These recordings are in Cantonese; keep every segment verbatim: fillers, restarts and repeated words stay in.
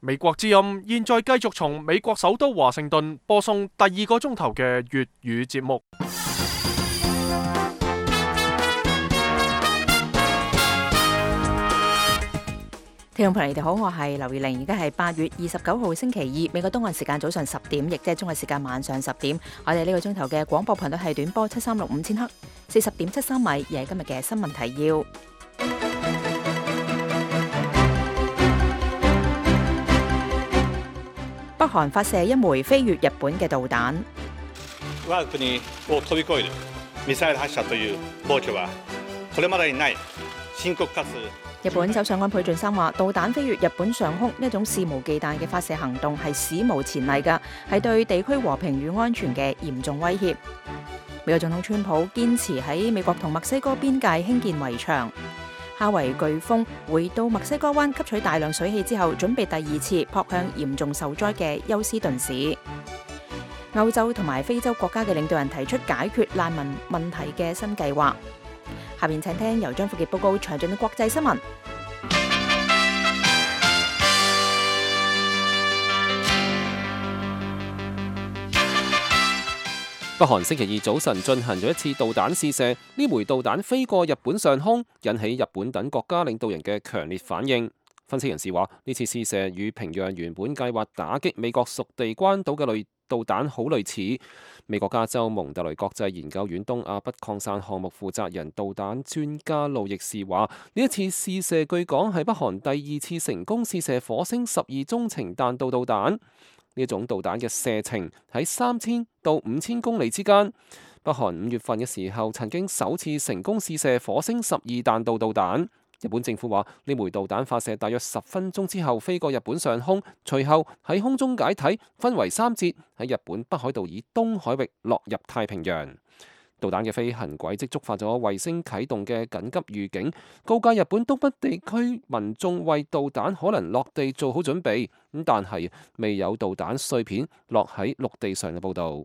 美國之音現在繼續從美國首都華盛頓播送第二個鐘頭嘅粵語節目。聽眾朋友，你哋好，我係劉月玲，而家係八月二十九號星期二，美國東岸時間早上十點，亦即係中國時間晚上十點。我哋呢個鐘頭嘅廣播頻率係短波七三六五千赫，四十點七三米，而係今日嘅新聞提要。北韓發射一枚飛越日本嘅導彈。我が國を飛び越えるミサイル発射という暴挙はこれまでにない深刻かつ。日本首相安倍晉三話，導彈飛越日本上空呢一種肆無忌憚嘅發射行動係史無前例㗎，係對地區和平與安全嘅嚴重威脅。美國總統川普堅持喺美國同墨西哥邊界興建圍牆。夏維颶風回到墨西哥灣吸取大量水汽之後，準備第二次撲向嚴重受災嘅休斯頓市。歐洲同埋非洲國家嘅領導人提出解決難民問題嘅新計劃。下面請聽由張富傑報告詳盡嘅國際新聞。北韓星期二早晨進行咗一次導彈試射，呢枚導彈飛過日本上空，引起日本等國家領導人嘅強烈反應。分析人士話，呢次試射與平壤原本計劃打擊美國屬地關島嘅類導彈好類似。美國加州蒙特雷國際研究院東亞不擴散項目負責人導彈專家路易士話，呢一次試射據講係北韓第二次成功試射火星十二中程彈道導彈。呢一種導彈嘅射程喺三千到五千公里之間。北韓五月份嘅時候曾經首次成功試射火星十二彈道導彈。日本政府話，呢枚導彈發射大約十分鐘之後飛過日本上空，隨後喺空中解體，分為三節喺日本北海道以東海域落入太平洋。導彈嘅飛行軌跡觸發咗衛星啟動嘅緊急預警，告誡日本東北地區民眾為導彈可能落地做好準備。咁但係未有導彈碎片落喺陸地上嘅報導。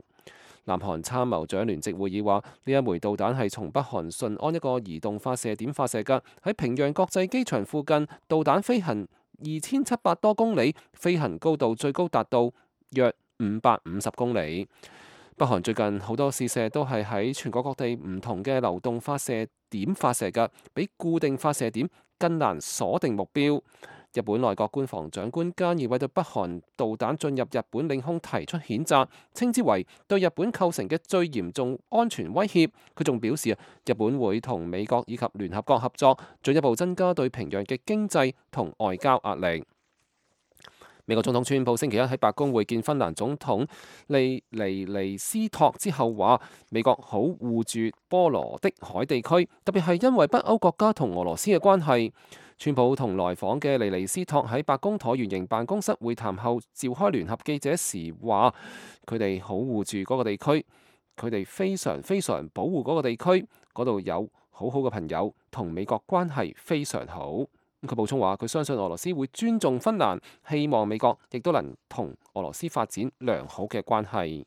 南韓參謀長聯席會議話，呢一枚導彈係從北韓順安一個移動發射點發射嘅，喺平壤國際機場附近，導彈飛行二千七百多公里，飛行高度最高達到約五百五十公里。北韓最近好多試射都係喺全國各地唔同嘅流動發射點發射嘅，比固定發射點更難鎖定目標。日本內閣官房長官菅義偉對北韓導彈進入日本領空提出譴責，稱之為對日本構成嘅最嚴重安全威脅。佢仲表示，日本會同美國以及聯合國合作，進一步增加對平壤嘅經濟同外交壓力。美國總統川普星期一喺白宮會見芬蘭總統利尼尼斯托之後話，美國好護住波羅的海地區，特別係因為北歐國家同俄羅斯嘅關係。川普同來訪嘅利尼斯托喺白宮橢圓形辦公室會談後召開聯合記者時話，佢哋好護住嗰個地區，佢哋非常非常保護嗰個地區，嗰度有好好嘅朋友，同美國關係非常好。佢補充話，佢相信俄羅斯會尊重芬蘭，希望美國亦都能同俄羅斯發展良好嘅關係。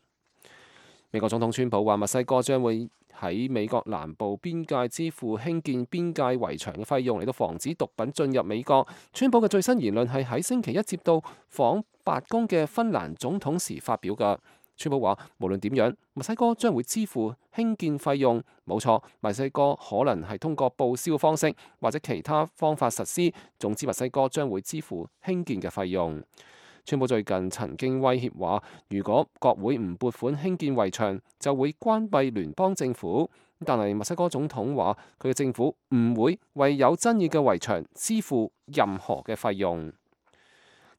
美國總統川普話，墨西哥將會喺美國南部邊界支付興建邊界圍牆嘅費用，嚟到防止毒品進入美國。川普嘅最新言論係喺星期一接到訪白宮嘅芬蘭總統時發表㗎。川普話，無論點樣，墨西哥將會支付興建費用。冇錯，墨西哥可能係通過報銷方式或者其他方法實施，總之墨西哥將會支付興建嘅費用。川普最近曾經威脅話，如果國會唔撥款興建圍牆，就會關閉聯邦政府。但係墨西哥總統話，佢嘅政府唔會為有爭議嘅圍牆支付任何嘅費用。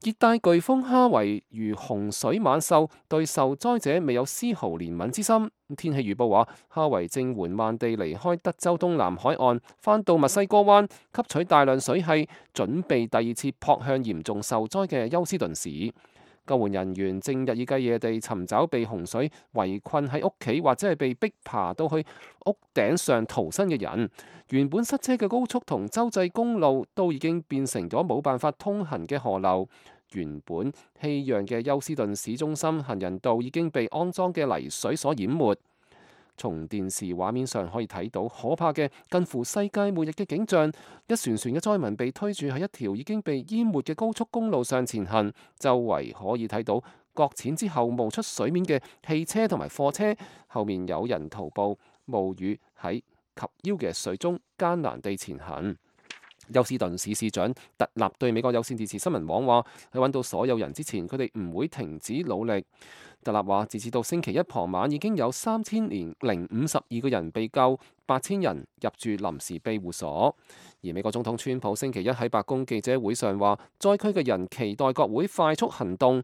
熱帶颶風哈維如洪水猛獸，對受災者未有絲毫憐憫之心。天氣預報話，哈維正緩慢地離開德州東南海岸，返到墨西哥灣，吸取大量水汽，準備第二次撲向嚴重受災嘅休斯頓市。救援人員正日以繼夜地尋找被洪水圍困喺屋企或者係被逼爬到去屋頂上逃生嘅人。原本塞車嘅高速同州際公路都已經變成咗冇辦法通行嘅河流。原本熙攘嘅休斯頓市中心行人道已經被骯髒嘅泥水所淹沒。從電視畫面上可以睇到可怕嘅近乎世界末日嘅景象，一船船嘅災民被推住喺一條已經被淹沒嘅高速公路上前行，周圍可以睇到擱淺之後冒出水面嘅汽車同埋貨車，後面有人徒步冒雨喺及腰嘅水中艱難地前行。休斯頓市市長特納對美國有線電視新聞網話：喺揾到所有人之前，佢哋唔會停止努力。特納話，截至到星期一傍晚，已經有三千零五十二個人被救，八千人入住臨時庇護所。而美國總統川普星期一喺白宮記者會上話，災區嘅人期待國會快速行動，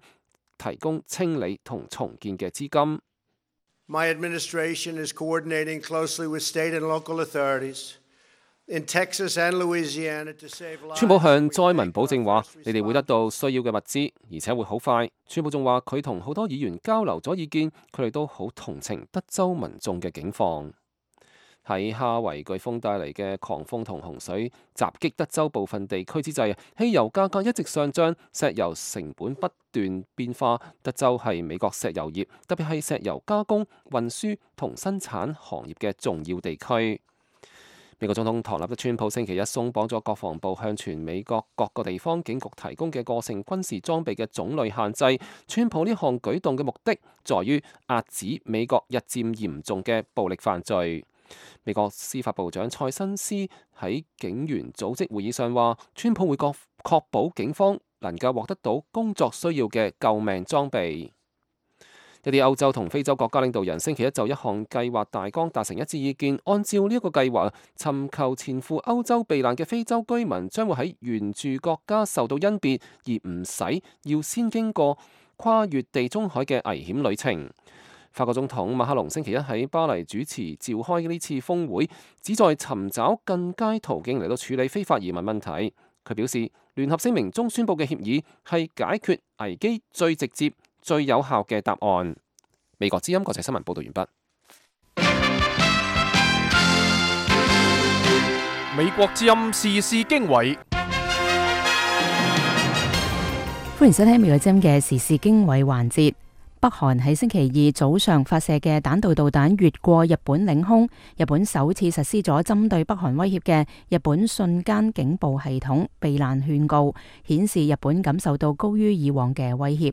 提供清理同重建嘅資金。My administration is coordinating closely with state and local authorities in Texas and Louisiana to save lives. 川普向災民保證話，你哋會得到需要嘅物資，而且會好快。川普仲話，佢同好多議員交流咗意見，佢哋都好同情德州民眾嘅境況。喺哈維颶風帶嚟嘅狂風同洪水襲擊德州部分地區之際，汽油價格一直上漲，石油成本不斷變化。德州係美國石油業，特別係石油加工、運輸同生產行業嘅重要地區。美國總統唐納德川普星期一鬆綁咗國防部向全美國各個地方警局提供嘅個性軍事裝備嘅種類限制。川普呢項舉動嘅目的，在於遏止美國日漸嚴重嘅暴力犯罪。美國司法部長蔡新斯喺警員組織會議上話，川普會確確保警方能夠獲得到工作需要嘅救命裝備。一啲歐洲同非洲國家領導人星期一就一項計劃大綱達成一致意見，按照呢一個計劃，尋求前赴歐洲避難嘅非洲居民將會喺原住國家受到甄別，而唔使要先經過跨越地中海嘅危險旅程。法國總統馬克龍星期一喺巴黎主持召開呢次峰會，旨在尋找更佳途徑嚟到處理非法移民問題。佢表示，聯合聲明中宣佈嘅協議係解決危機最直接、最有效嘅答案。美國之音國際新聞報道完畢。美國之音時事經緯，歡迎收聽美國之音嘅時事經緯環節。北韓喺星期二早上發射嘅彈道導彈越過日本領空，日本首次實施咗針對北韓威脅嘅日本瞬間警報系統避難勸告，顯示日本感受到高於以往嘅威脅。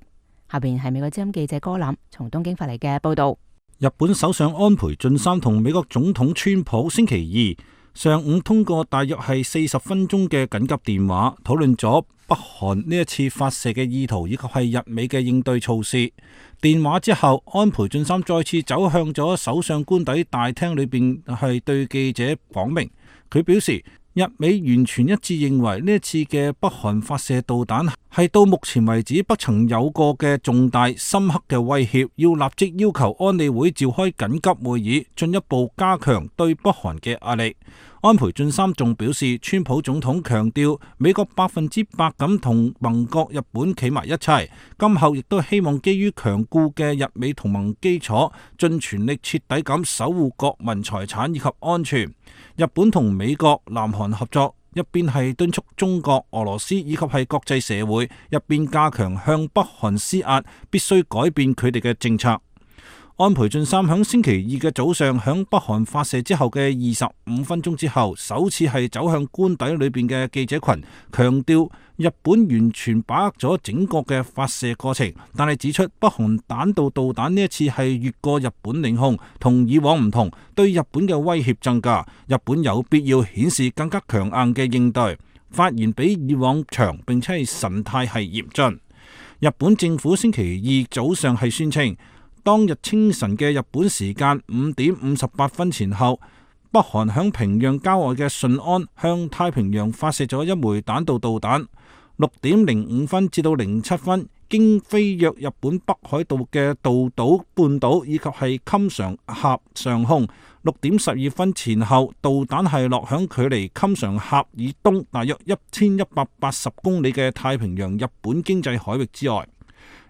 下邊係美國之音記者歌林從東京發嚟嘅報道。日本首相安倍晉三同美國總統川普星期二上午通過大約係四十分鐘嘅緊急電話，討論咗北韓呢一次發射嘅意圖以及係日美嘅應對措施。電話之後，安倍晉三再次走向咗首相官邸大廳裏邊，係對記者講明，佢表示日美完全一致認為呢一次嘅北韓發射導彈係到目前為止不曾有過嘅重大深刻嘅威脅，要立即要求安理會召開緊急會議，進一步加強對北韓嘅壓力。安倍晉三仲表示，川普總統強調美國百分之百咁同盟國日本企埋一齊，今後亦都希望基於強固嘅日美同盟基礎，盡全力徹底咁守護國民財產以及安全。日本同美國、南韓合作，一邊係敦促中國、俄羅斯以及係國際社會，一邊加強向北韓施壓，必須改變佢哋嘅政策。安倍晉三響星期二嘅早上，響北韓發射之後嘅二十五分鐘之後，首次係走向官邸裏邊嘅記者群，強調日本完全把握咗整個嘅發射過程，但係指出北韓彈道導彈呢一次係越過日本領空，同以往唔同，對日本嘅威脅增加，日本有必要顯示更加強硬嘅應對。發言比以往長，並且係神態係嚴峻。日本政府星期二早上係宣稱，當日清晨嘅日本時間五點五十八分前後，北韓響平壤郊外嘅順安向太平洋發射咗一枚彈道導彈。六點零五分至到零七分，經飛越日本北海道嘅道島半島以及係襟常峽上空。六點十二分前後，導彈係落響距離襟常峽以東大約一千一百八十公里嘅太平洋日本經濟海域之外。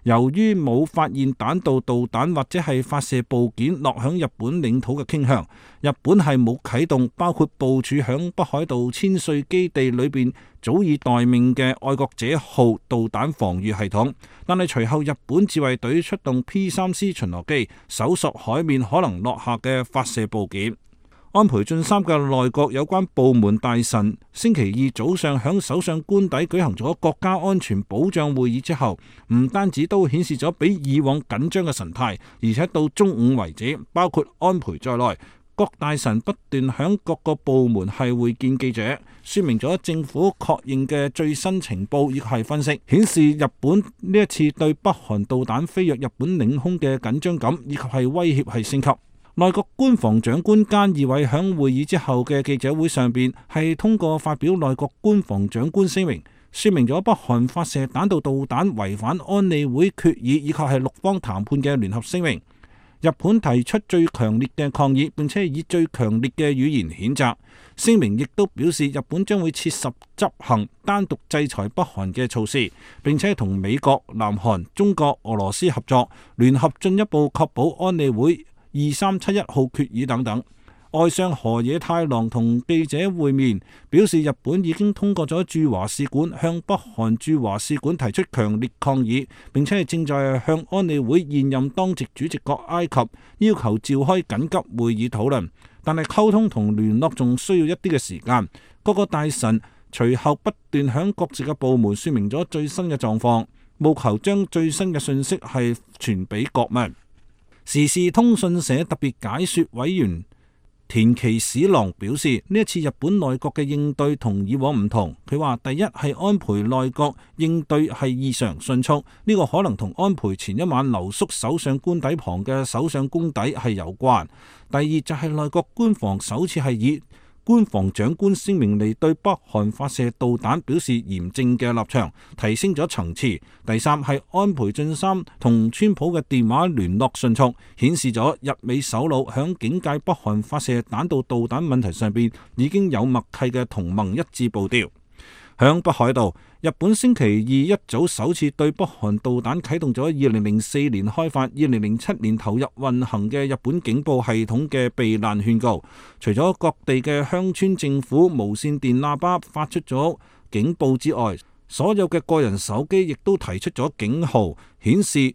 由於冇發現彈道導彈或者係發射部件落響日本領土嘅傾向，日本係冇啟動包括部署響北海道千歲基地裏邊早已待命嘅愛國者號導彈防禦系統。但係隨後日本自衛隊出動 P 三 C 巡邏機搜索海面可能落下嘅發射部件。安倍晉三嘅內閣有關部門大臣星期二早上響首相官邸舉行咗國家安全保障會議之後，唔單止都顯示咗比以往緊張嘅神態，而且到中午為止，包括安倍在內，各大臣不斷響各個部門係會見記者，說明咗政府確認嘅最新情報，以及係分析，顯示日本呢一次對北韓導彈飛越日本領空嘅緊張感，以及係威脅係升級。內閣官房長官菅義偉響會議之後嘅記者會上邊，係通過發表內閣官房長官聲明，說明咗北韓發射彈道導彈違反安理會決議以及係六方談判嘅聯合聲明。日本提出最強烈嘅抗議，並且以最強烈嘅語言譴責。聲明亦都表示，日本將會切實執行單獨制裁北韓嘅措施，並且同美國、南韓、中國、俄羅斯合作，聯合進一步確保安理會二三七一號決議等等。外相河野太郎同記者會面，表示日本已經通過咗駐華使館向北韓駐華使館提出強烈抗議，並且係正在向安理會現任當值主席國埃及要求召開緊急會議討論，但係溝通同聯絡仲需要一啲嘅時間。各個大臣隨後不斷向各自嘅部門說明咗最新嘅狀況，務求將最新嘅信息係傳俾國民。時事通訊社特別解說委員田崎史郎表示，呢一次日本內閣嘅應對同以往唔同。佢話第一係安倍內閣應對係異常迅速，呢個可能同安倍前一晚留宿首相官邸旁嘅首相公邸係有關。第二就係內閣官房首次係以官房長官聲明嚟對北韓發射導彈表示嚴正嘅立場，提升咗層次。第三係安倍晉三同川普嘅電話聯絡迅速，顯示咗日美首腦響警戒北韓發射彈道導彈問題上邊已經有默契嘅同盟一致步調。響北海道，日本星期二一早首次對北韓導彈啟動咗二零零四年開發、二零零七年投入運行嘅日本警報系統嘅避難勸告。除咗各地嘅鄉村政府無線電喇叭發出咗警報之外，所有嘅個人手機亦都提出咗警號，顯示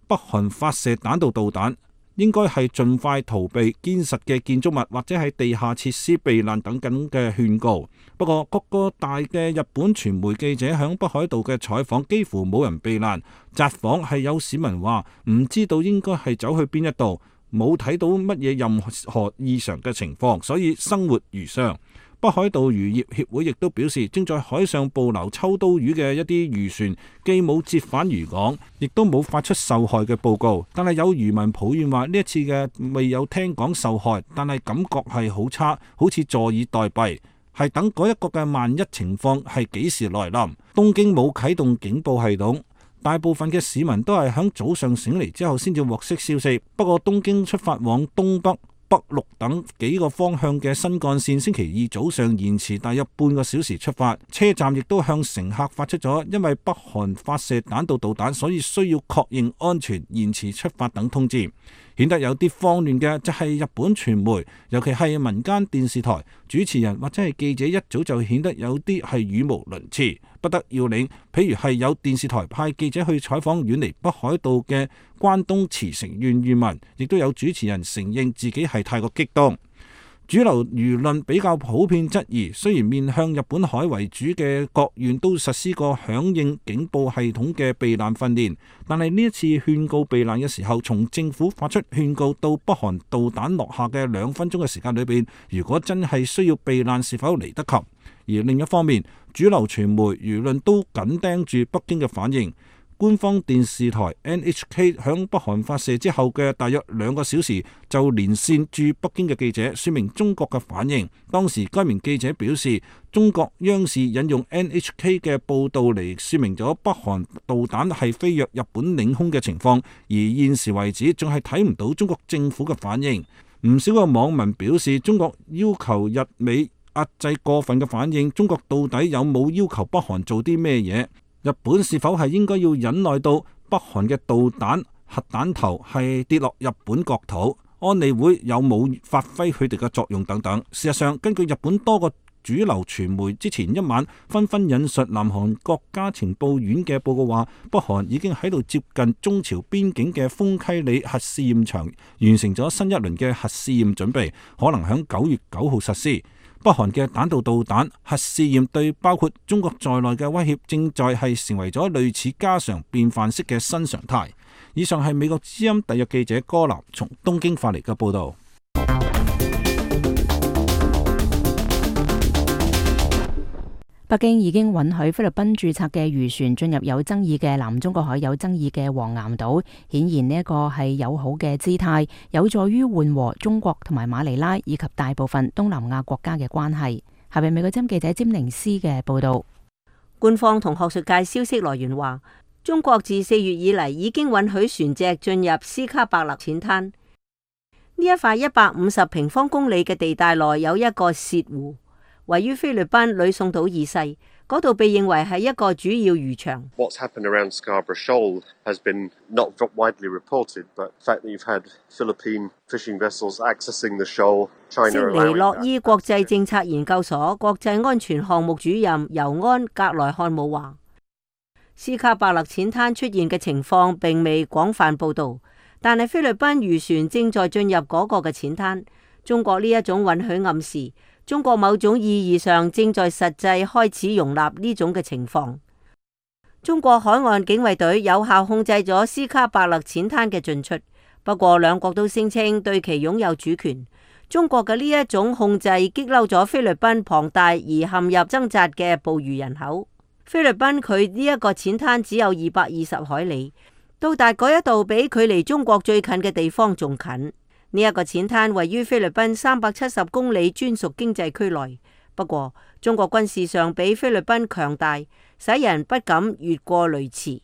北韓發射彈道導彈應該係盡快逃避堅實嘅建築物或者係地下設施避難等等嘅勸告。不過各個大嘅日本傳媒記者響北海道嘅採訪幾乎冇人避難，札幌係有市民話唔知道應該係走去邊一度，冇睇到乜嘢任何異常嘅情況，所以生活如常。北海道漁業協會亦都表示，正在海上捕撈秋刀魚嘅一啲漁船既冇折返漁港，亦都冇發出受害嘅報告。但係有漁民抱怨話，呢一次嘅未有聽講受害，但係感覺係好差，好似坐以待斃，係等嗰一個嘅萬一情況係幾時來臨。東京冇啟動警報系統，大部分嘅市民都係響早上醒嚟之後先至獲悉消息。不過東京出發往東北、北陸等幾個方向嘅新幹線星期二早上延遲大約半個小時出發，車站亦都向乘客發出咗因為北韓發射彈道導彈，所以需要確認安全延遲出發等通知。顯得有啲慌亂嘅就係日本傳媒，尤其係民間電視台主持人或者係記者，一早就顯得有啲係語無倫次，不得要領。譬如係有電視台派記者去採訪遠離北海道嘅關東茨城縣漁民，亦都有主持人承認自己係太過激動。主流輿論比較普遍質疑，雖然面向日本海為主嘅各縣都實施過響應警報系統嘅避難訓練，但係呢一次勸告避難嘅時候，從政府發出勸告到北韓導彈落下嘅兩分鐘嘅時間裏邊，如果真係需要避難，是否嚟得及？而另一方面，主流傳媒輿論都緊盯住北京嘅反應。官方電視台 N H K 響北韓發射之後嘅大約兩個小時就連線駐北京嘅記者，說明中國嘅反應。當時該名記者表示，中國央視引用 N H K 嘅報導嚟說明咗北韓導彈係飛越日本領空嘅情況，而現時為止仲係睇唔到中國政府嘅反應。唔少嘅網民表示，中國要求日美壓制過分嘅反應，中國到底有冇要求北韓做啲咩嘢？日本是否係應該要忍耐到北韓嘅導彈核彈頭係跌落日本國土，安理會有冇發揮佢哋嘅作用等等。事實上，根據日本多個主流傳媒之前一晚紛紛引述南韓國家情報院嘅報告話，北韓已經喺度接近中朝邊境嘅豐溪里核試驗場完成咗新一輪嘅核試驗準備，可能響九月九號實施。北韓嘅彈道導彈核試驗對包括中國在內嘅威脅正在係成為咗類似家常便飯式嘅新常態。以上係美國之音特約記者柯南從東京發嚟嘅報道。北京已經允許菲律賓註冊嘅漁船進入有爭議嘅南中國海有爭議嘅黃岩島，顯然呢一個係友好嘅姿態，有助於緩和中國同埋馬尼拉以及大部分東南亞國家嘅關係。下邊美國之音記者詹寧斯嘅報道。官方同學術界消息來源話，中國自四月以嚟已經允許船隻進入斯卡伯勒淺灘。呢一塊一百五十平方公里嘅地帶內有一個洩湖，位於菲律賓呂宋島以西，嗰度被認為係一個主要漁場。What's happened around Scarborough Shoal has been not widely reported, but the fact that you've had Philippine fishing vessels accessing the shoal, China allowing that. 悉尼洛伊國際政策研究所國際安全項目主任尤安格萊漢姆話，斯卡伯勒淺灘出現嘅情況並未廣泛報道，但係菲律賓漁船正在進入嗰個嘅淺灘。中國呢一種允許暗示，中國某種意義上正在實際開始容納呢種嘅情況。中國海岸警衛隊有效控制咗斯卡伯勒淺灘嘅進出，不過兩國都聲稱對其擁有主權。中國嘅呢一種控制激嬲咗菲律賓龐大而陷入掙扎嘅捕魚人口。菲律賓佢呢一個淺灘只有二百二十海里，到達嗰一度比距離中國最近嘅地方仲近。呢一個淺灘位於菲律賓三百七十公里專屬經濟區內，不過中國軍事上比菲律賓強大，使人不敢越過雷池。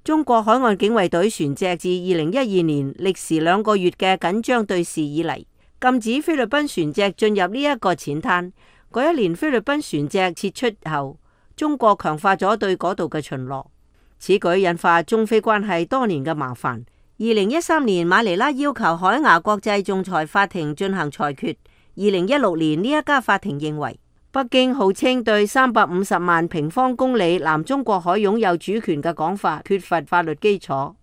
中國海岸警衛隊船隻自二零一二年歷時兩個月嘅緊張對峙以嚟，禁止菲律賓船隻進入呢一個淺灘。嗰一年菲律賓船隻撤出後，中國強化咗對嗰度嘅巡邏，此舉引發中菲關係多年嘅麻煩。二零一三年，馬尼拉要求海牙國際仲裁法庭進行裁決。二零一六年，呢一家法庭認為，北京號稱對三百五十萬平方公里南中國海擁有主權嘅講法缺乏法律基礎。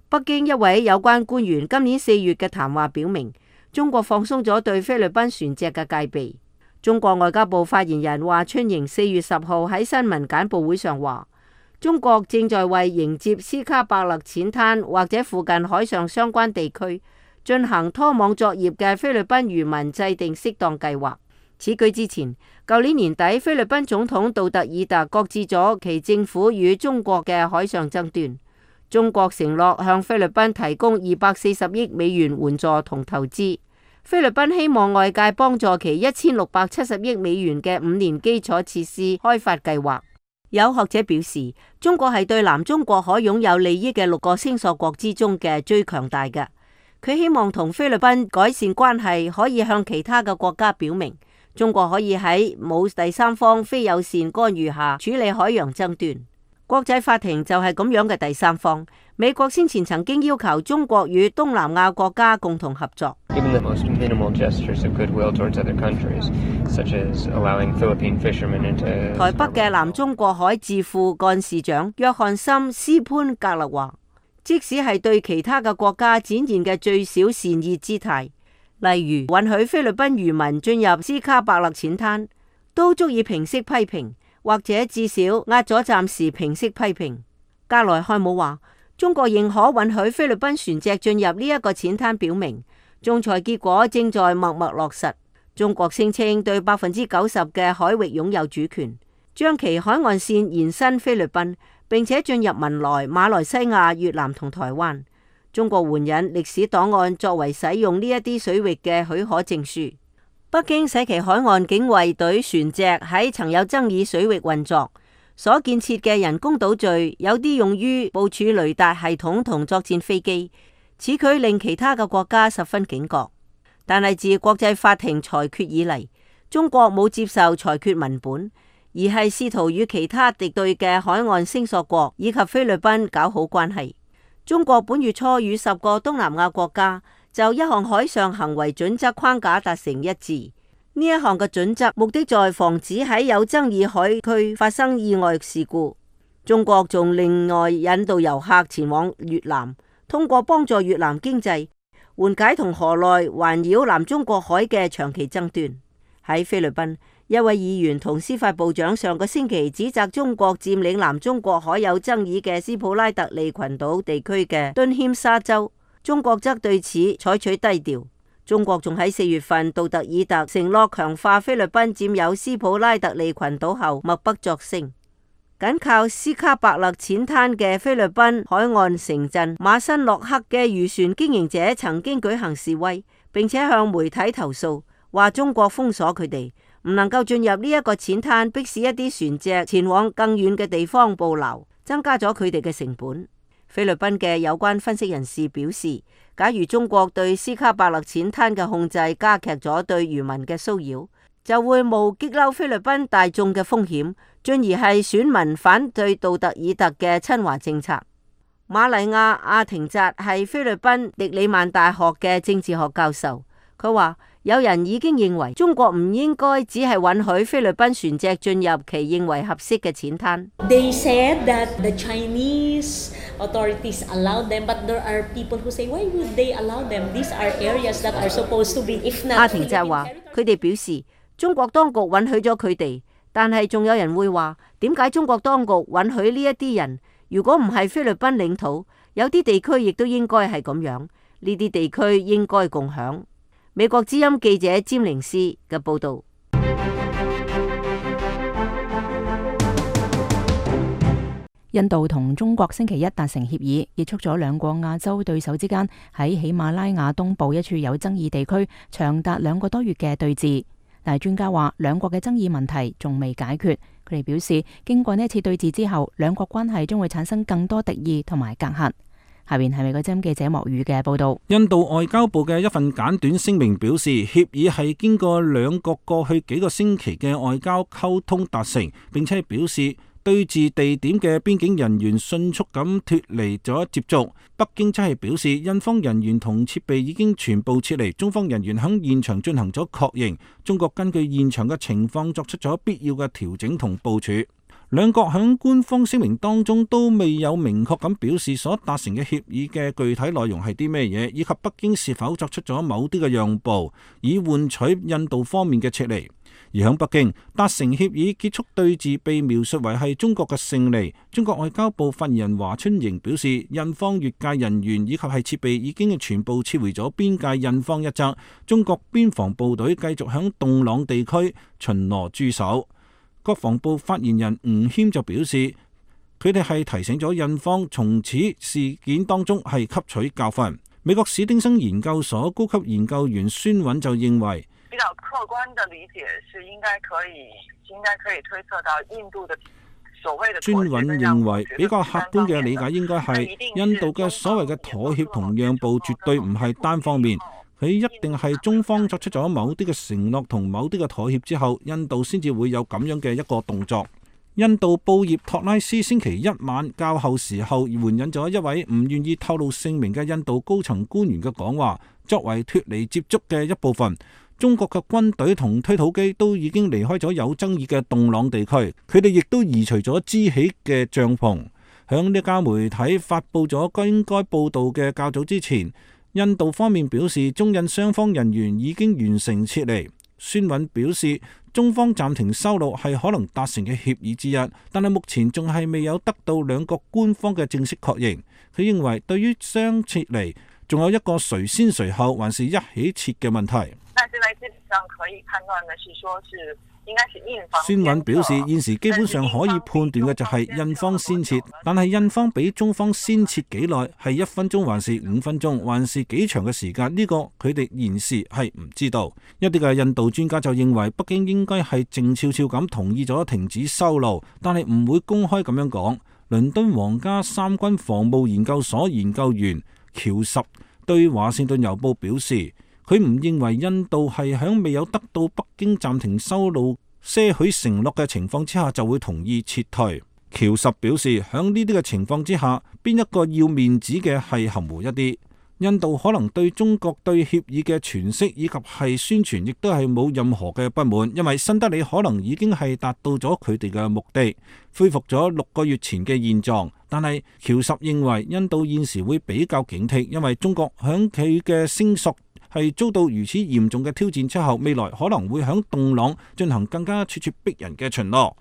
北京一位有關官員今年四月嘅談話表明，中國放鬆咗對菲律賓船隻嘅戒備。中國外交部發言人華春瑩四月十號喺新聞簡報會上話，中國正在為迎接斯卡伯勒淺灘或者附近海上相關地區進行拖網作業嘅菲律賓漁民制定適當計劃。此舉之前，舊年年底菲律賓總統杜特爾特擱置咗其政府與中國嘅海上爭端。中國承諾向菲律賓提供二百四十億美元援助同投資。菲律賓希望外界幫助其一千六百七十億美元嘅五年基礎設施開發計劃。有學者表示，中國係對南中國海擁有利益嘅六個星索國之中嘅最強大嘅。佢希望同菲律賓改善關係，可以向其他嘅國家表明，中國可以喺冇第三方非友善干預下處理海洋爭端。國際法庭就係咁樣嘅第三方。美國先前曾經要求中國與東南亞國家共同合作。台北嘅南中國海智庫幹事長約翰森斯潘格勒話，即使係對其他嘅國家展現嘅最小善意姿態，例如允許菲律賓漁民進入斯卡伯勒淺灘，都足以平息批評，或者至少壓咗暫時平息批評。格萊漢姆話，中國認可允許菲律賓船隻進入呢一個淺灘，表明仲裁結果正在默默落實。中國聲稱對百分之九十嘅海域擁有主權，將其海岸線延伸菲律賓，並且進入文萊、馬來西亞、越南同台灣。中國援引歷史檔案作為使用呢一啲水域嘅許可證書。北京使其海岸警衛隊船隻喺曾有爭議水域運作，所建設嘅人工島嶼有啲用於部署雷達系統同作戰飛機，此舉令其他嘅國家十分警覺。但係自國際法庭裁決以嚟，中國冇接受裁決文本，而係試圖與其他敵對嘅海岸星索國以及菲律賓搞好關係。中國本月初與十個東南亞國家就一項海上行為準則框架達成一致。呢一項嘅準則目的在防止喺有爭議海區發生意外事故。中國仲另外引導遊客前往越南，通過幫助越南經濟，緩解同河內環繞南中國海嘅長期爭端。喺菲律賓，一位議員同司法部長上個星期指責中國佔領南中國海有爭議嘅斯普拉特利群島地區嘅敦謙沙州，中國則對此採取低調。中國仲喺四月份杜特爾特承諾強化菲律賓佔有斯普拉特利群島後默不作聲。緊靠斯卡伯勒淺灘嘅菲律賓海岸城鎮馬辛諾克嘅漁船經營者曾經舉行示威，並且向媒體投訴，話中國封鎖佢哋，唔能夠進入呢一個淺灘，迫使一啲船隻前往更遠嘅地方捕撈，增加咗佢哋嘅成本。菲律賓嘅有關分析人士表示，假如中國對斯卡伯勒淺灘嘅控制加劇咗對漁民嘅騷擾，就會冒激嬲菲律賓大眾嘅風險，進而係選民反對杜特爾特嘅親華政策。瑪麗亞阿廷扎係菲律賓迪里曼大學嘅政治學教授，佢話有人已經認為中國唔應該只係允許菲律賓船隻進入其認為合適嘅淺灘。They said that the Chinese authorities allowed them, but there are people who say, why would they allow them? These are areas that are supposed to be, if not. 阿廷扎話，佢哋表示中國當局允許咗佢哋，但係仲有人會話，點解中國當局允許呢一啲人？如果唔係菲律賓領土，有啲地區亦都應該係咁樣，呢啲地區應該共享。美國之音記者詹寧斯嘅報道。印度同中國星期一達成協議，結束咗兩個亞洲對手之間喺喜馬拉雅東部一處有爭議地區長達兩個多月嘅對峙。但係專家話，兩國嘅爭議問題仲未解決。佢哋表示，經過呢一次對峙之後，兩國關係將會產生更多敵意同埋隔閡。下邊係美國之音記者莫宇嘅報道。印度外交部嘅一份簡短聲明表示，協議係經過兩國過去幾個星期嘅外交溝通達成，並且表示對峙地點嘅邊境人員迅速咁脫離咗接觸。北京則係表示，印方人員同設備已經全部撤離，中方人員響現場進行咗確認。中國根據現場嘅情況作出咗必要嘅調整同部署。兩國響官方聲明當中都未有明確咁表示所達成嘅協議嘅具體內容係啲咩嘢，以及北京是否作出咗某啲嘅讓步，以換取印度方面嘅撤離。而響北京達成協議結束對峙被描述為係中國嘅勝利。中國外交部發言人華春瑩表示，印方越界人員以及係設備已經全部撤回咗邊界印方一側，中國邊防部隊繼續響洞朗地區巡邏駐守。國防部發言人吳謙就表示，佢哋係提醒咗印方從此事件當中係吸取教訓。美國史丁生研究所高級研究員孫韻就認為，比較客觀的理解是應該可以應該可以推測到印度的所謂的。孫韻認為比較客觀嘅理解應該係印度嘅所謂嘅妥協同讓步絕對唔係單方面。佢一定係中方作出咗某啲嘅承諾同某啲嘅妥協之後，印度先至會有咁樣嘅一個動作。印度報業托拉斯星期一晚較後時候援引咗一位唔願意透露姓名嘅印度高層官員嘅講話，作為脫離接觸嘅一部分。中國嘅軍隊同推土機都已經離開咗有爭議嘅洞朗地區，佢哋亦都移除咗支起嘅帳篷。響呢家媒體發佈咗應該報導嘅較早之前，印度方面表示中印雙方人員已經完成撤離。孫韻表示，中方暫停收錄係可能達成嘅協議之一，但係目前仲係未有得到兩國官方嘅正式確認。佢認為對於雙撤離，仲有一個誰先誰後還是一起撤嘅問題。但是呢，基本上可以判斷的是說是應該是印方。孫韻表示，現時基本上可以判斷嘅就係印方先撤，但係印方比中方先撤幾耐，係一分鐘還是五分鐘，還是幾長嘅時間？呢個佢哋現時係唔知道。一啲嘅印度專家就認為，北京應該係靜悄悄咁同意咗停止修路，但係唔會公開咁樣講。倫敦皇家三軍防務研究所研究員喬什對華盛頓郵報表示，佢唔認為印度係響未有得到北京暫停修路些許承諾嘅情況之下就會同意撤退。喬什表示，喺呢啲嘅情況之下，邊一個要面子嘅係含糊一啲。印度可能對中國對協議嘅詮釋以及係宣傳，亦都係冇任何嘅不滿，因為新德里可能已經係達到咗佢哋嘅目的，恢復咗六個月前嘅現狀。但係喬什認為印度現時會比較警惕，因為中國響佢嘅聲索係遭到如此嚴重嘅挑戰之後，未來可能會響洞朗進行更加咄咄逼人嘅巡邏。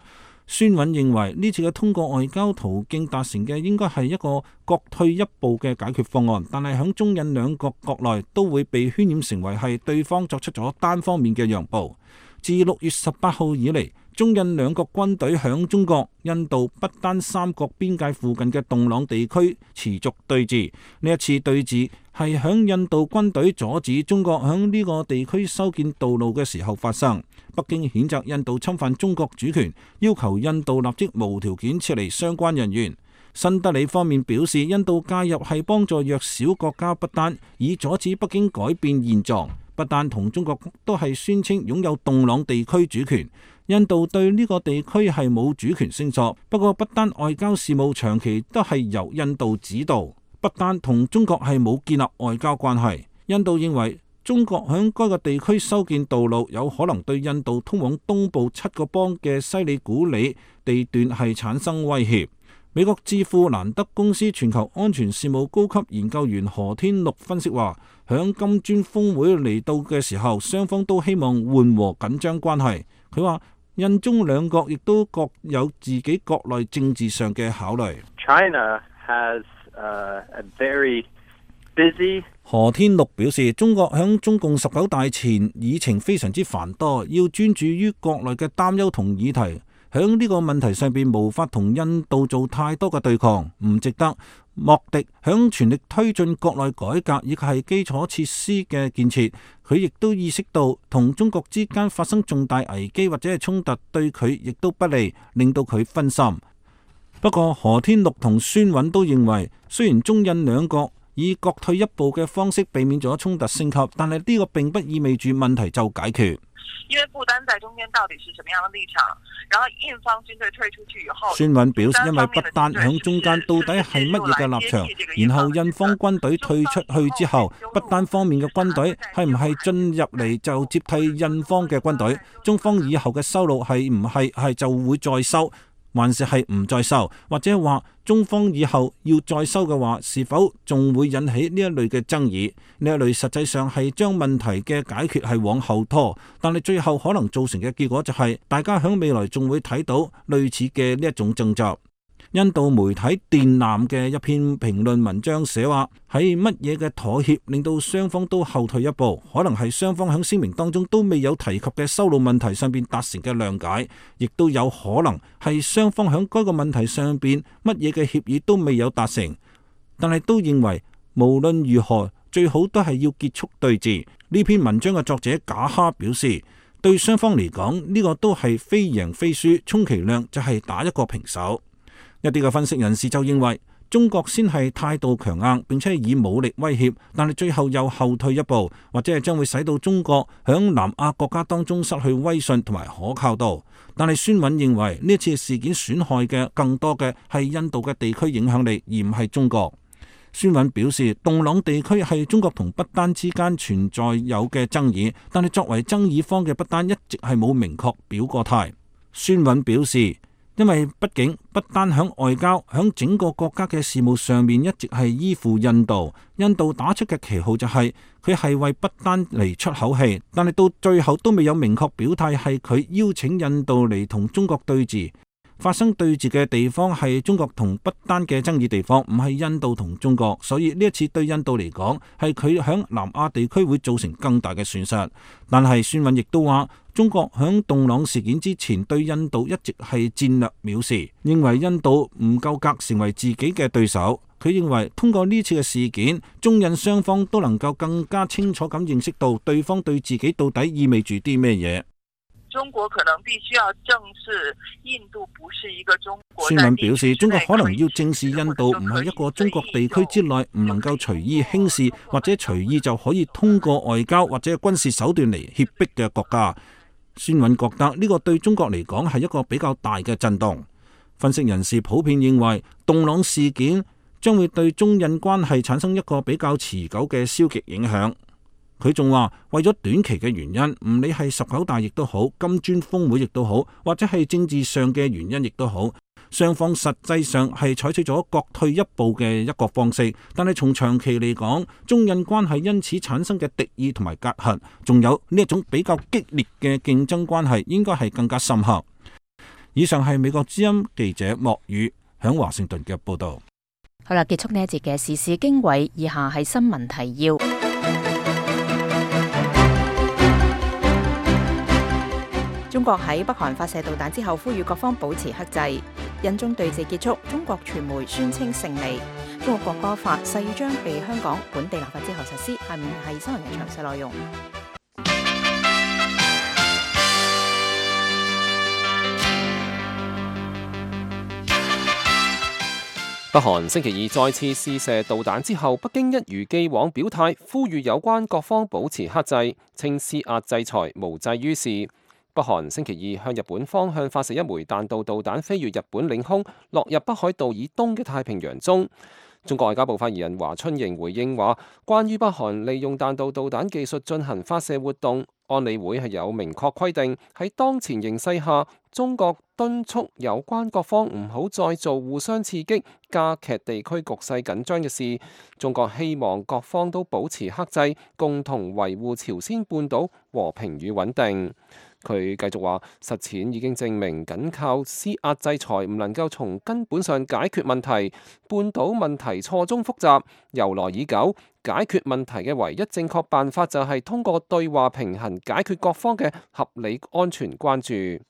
孫韻認為呢次嘅通過外交途徑達成嘅應該係一個各退一步嘅解決方案，但係響中印兩國國內都會被渲染成為係對方作出咗單方面嘅讓步。自六月十八號以嚟，中印兩國軍隊響中國、印度不丹三國邊界附近嘅洞朗地區持續對峙。呢一次對峙係響印度軍隊阻止中國響呢個地區修建道路嘅時候發生。北京譴責印度侵犯中國主權，要求印度立即無條件撤離相關人員。新德里方面表示，印度介入係幫助弱小國家不丹，以阻止北京改變現狀。不丹同中國都係宣稱擁有洞朗地區主權，印度對呢個地區係冇主權聲索。不過不丹外交事務長期都係由印度指導，不丹同中國係冇建立外交關係。印度認為中國響該個地區修建道路，有可能對印度通往東部七個邦嘅西里古里地段係產生威脅。美國智庫蘭德公司全球安全事務高級研究員何天祿分析話，響金磚峰會嚟到嘅時候，雙方都希望緩和緊張關係。佢話印中兩國亦都各有自己國內政治上嘅考慮。China has, uh, a very busy何天祿表示，中國響中共十九大前議程非常之繁多，要專注於國內嘅擔憂同議題。響呢個問題上邊無法同印度做太多嘅對抗，唔值得。莫迪響全力推進國內改革以及係基礎設施嘅建設，佢亦都意識到同中國之間發生重大危機或者係衝突對佢亦都不利，令到佢分心。不過何天祿同孫韻都認為，雖然中印兩國以各退一步嘅方式避免咗衝突升級，但係呢個並不意味住問題就解決。因為不丹在中間到底是什麼樣的立場，然後印方軍隊退出去以後，孫韻表示，因為不丹響中間到底係乜嘢嘅立場，然後印方軍隊退出去之後，不丹方面嘅軍隊係唔係進入嚟就接替印方嘅軍隊？中方以後嘅收路係唔係係就會再收，還是係唔再收？或者話中方以後要再收嘅話，是否仲會引起呢一類嘅爭議？呢一類實際上係將問題嘅解決係往後拖，但係最後可能造成嘅結果就係大家喺未來仲會睇到類似嘅呢一種爭執。印度媒體電南嘅一篇評論文章寫話，喺乜嘢嘅妥協令到雙方都後退一步，可能係雙方喺聲明當中都未有提及嘅修路問題上邊達成嘅諒解，亦都有可能係雙方喺該個問題上邊乜嘢嘅協議都未有達成，但係都認為無論如何最好都係要結束對峙。呢篇文章嘅作者賈哈表示，對雙方嚟講呢個都係非贏非輸，充其量就係打一個平手。一啲嘅分析人士就認為，中國先係態度強硬，並且以武力威脅，但係最後又後退一步，或者係將會使到中國響南亞國家當中失去威信同埋可靠度。但係孫韻認為呢次事件損害嘅更多嘅係印度嘅地區影響力，而唔係中國。孫韻表示，洞朗地區係中國同不丹之間存在有嘅爭議，但係作為爭議方嘅不丹一直係冇明確表過態。孫韻表示，因為畢竟不丹響外交、響整個國家嘅事務上面一直係依附印度，印度打出嘅旗號就係佢係為不丹嚟出口氣，但係到最後都未有明確表態係佢邀請印度嚟同中國對峙。發生對峙嘅地方係中國同不丹嘅爭議地方，唔係印度同中國，所以呢一次對印度嚟講係佢響南亞地區會造成更大嘅損失。但係孫韻亦都話，中國響洞朗事件之前對印度一直係戰略藐視，認為印度唔夠格成為自己嘅對手。佢認為通過呢次嘅事件，中印雙方都能夠更加清楚咁認識到對方對自己到底意味住啲咩嘢。中國可能必須要正視印度不是一個中國。孫韻表示，中國可能要正視印度唔係一個中國地區之內唔能夠隨意輕視或者隨意就可以通過外交或者軍事手段嚟脅迫嘅國家。孫韻覺得呢個對中國嚟講係一個比較大嘅震動。分析人士普遍認為，洞朗事件將會對中印關係產生一個比較持久嘅消極影響。佢仲話，為咗短期嘅原因，唔理係十九大亦都好，金磚峰會亦都好，或者係政治上嘅原因亦都好，雙方實際上係採取咗各退一步嘅一個方式。但係從長期嚟講，中印關係因此產生嘅敵意同埋隔閡，仲有呢一種比較激烈嘅競爭關係，應該係更加深刻。以上係美國之音記者莫宇響華盛頓嘅報道。好啦，結束呢一節嘅時事經緯，以下係新聞提要。中國喺北韓發射導彈之後，呼籲各方保持克制。印中對峙結束，中國傳媒宣稱勝利。中國國歌法誓將被香港本地立法之後實施。下面係新聞嘅詳細內容。北韓星期二再次試射導彈之後，北京一如既往表態，呼籲有關各方保持克制，稱施壓制裁無濟於事。北韓星期二向日本方向發射一枚彈道導彈，飛越日本領空，落入北海道以東嘅太平洋中。中國外交部發言人華春瑩回應話，關於北韓利用彈道導彈技術進行發射活動，安理會係有明確規定，喺當前形勢下，中國敦促有關各方唔好再做互相刺激、加劇地區局勢緊張嘅事。中國希望各方都保持克制，共同維護朝鮮半島和平與穩定。佢繼續話，實踐已經證明，僅靠施壓制裁唔能夠從根本上解決問題。半島問題錯綜複雜，由來已久，解決問題嘅唯一正確辦法就係通過對話平衡解決各方嘅合理安全關注。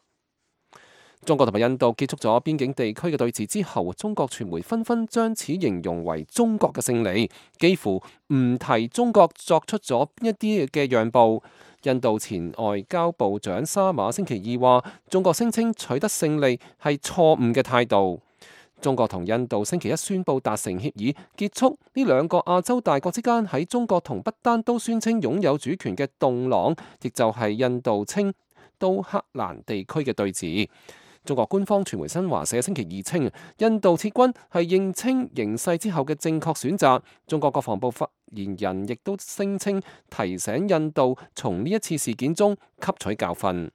中國同埋印度結束咗邊境地區嘅對峙之後，中國傳媒紛紛將此形容為中國嘅勝利，幾乎唔提中國作出咗一啲嘅讓步。印度前外交部長沙馬星期二話，中國聲稱取得勝利係錯誤嘅態度。中國同印度星期一宣布達成協議，結束呢兩個亞洲大國之間喺中國同不丹都宣稱擁有主權嘅洞朗，亦就係印度稱都克蘭地區嘅對峙。中國官方傳媒新華社星期二稱，印度撤軍係認清形勢之後嘅正確選擇。中國國防部發言人亦都聲稱，提醒印度從呢一次事件中吸取教訓。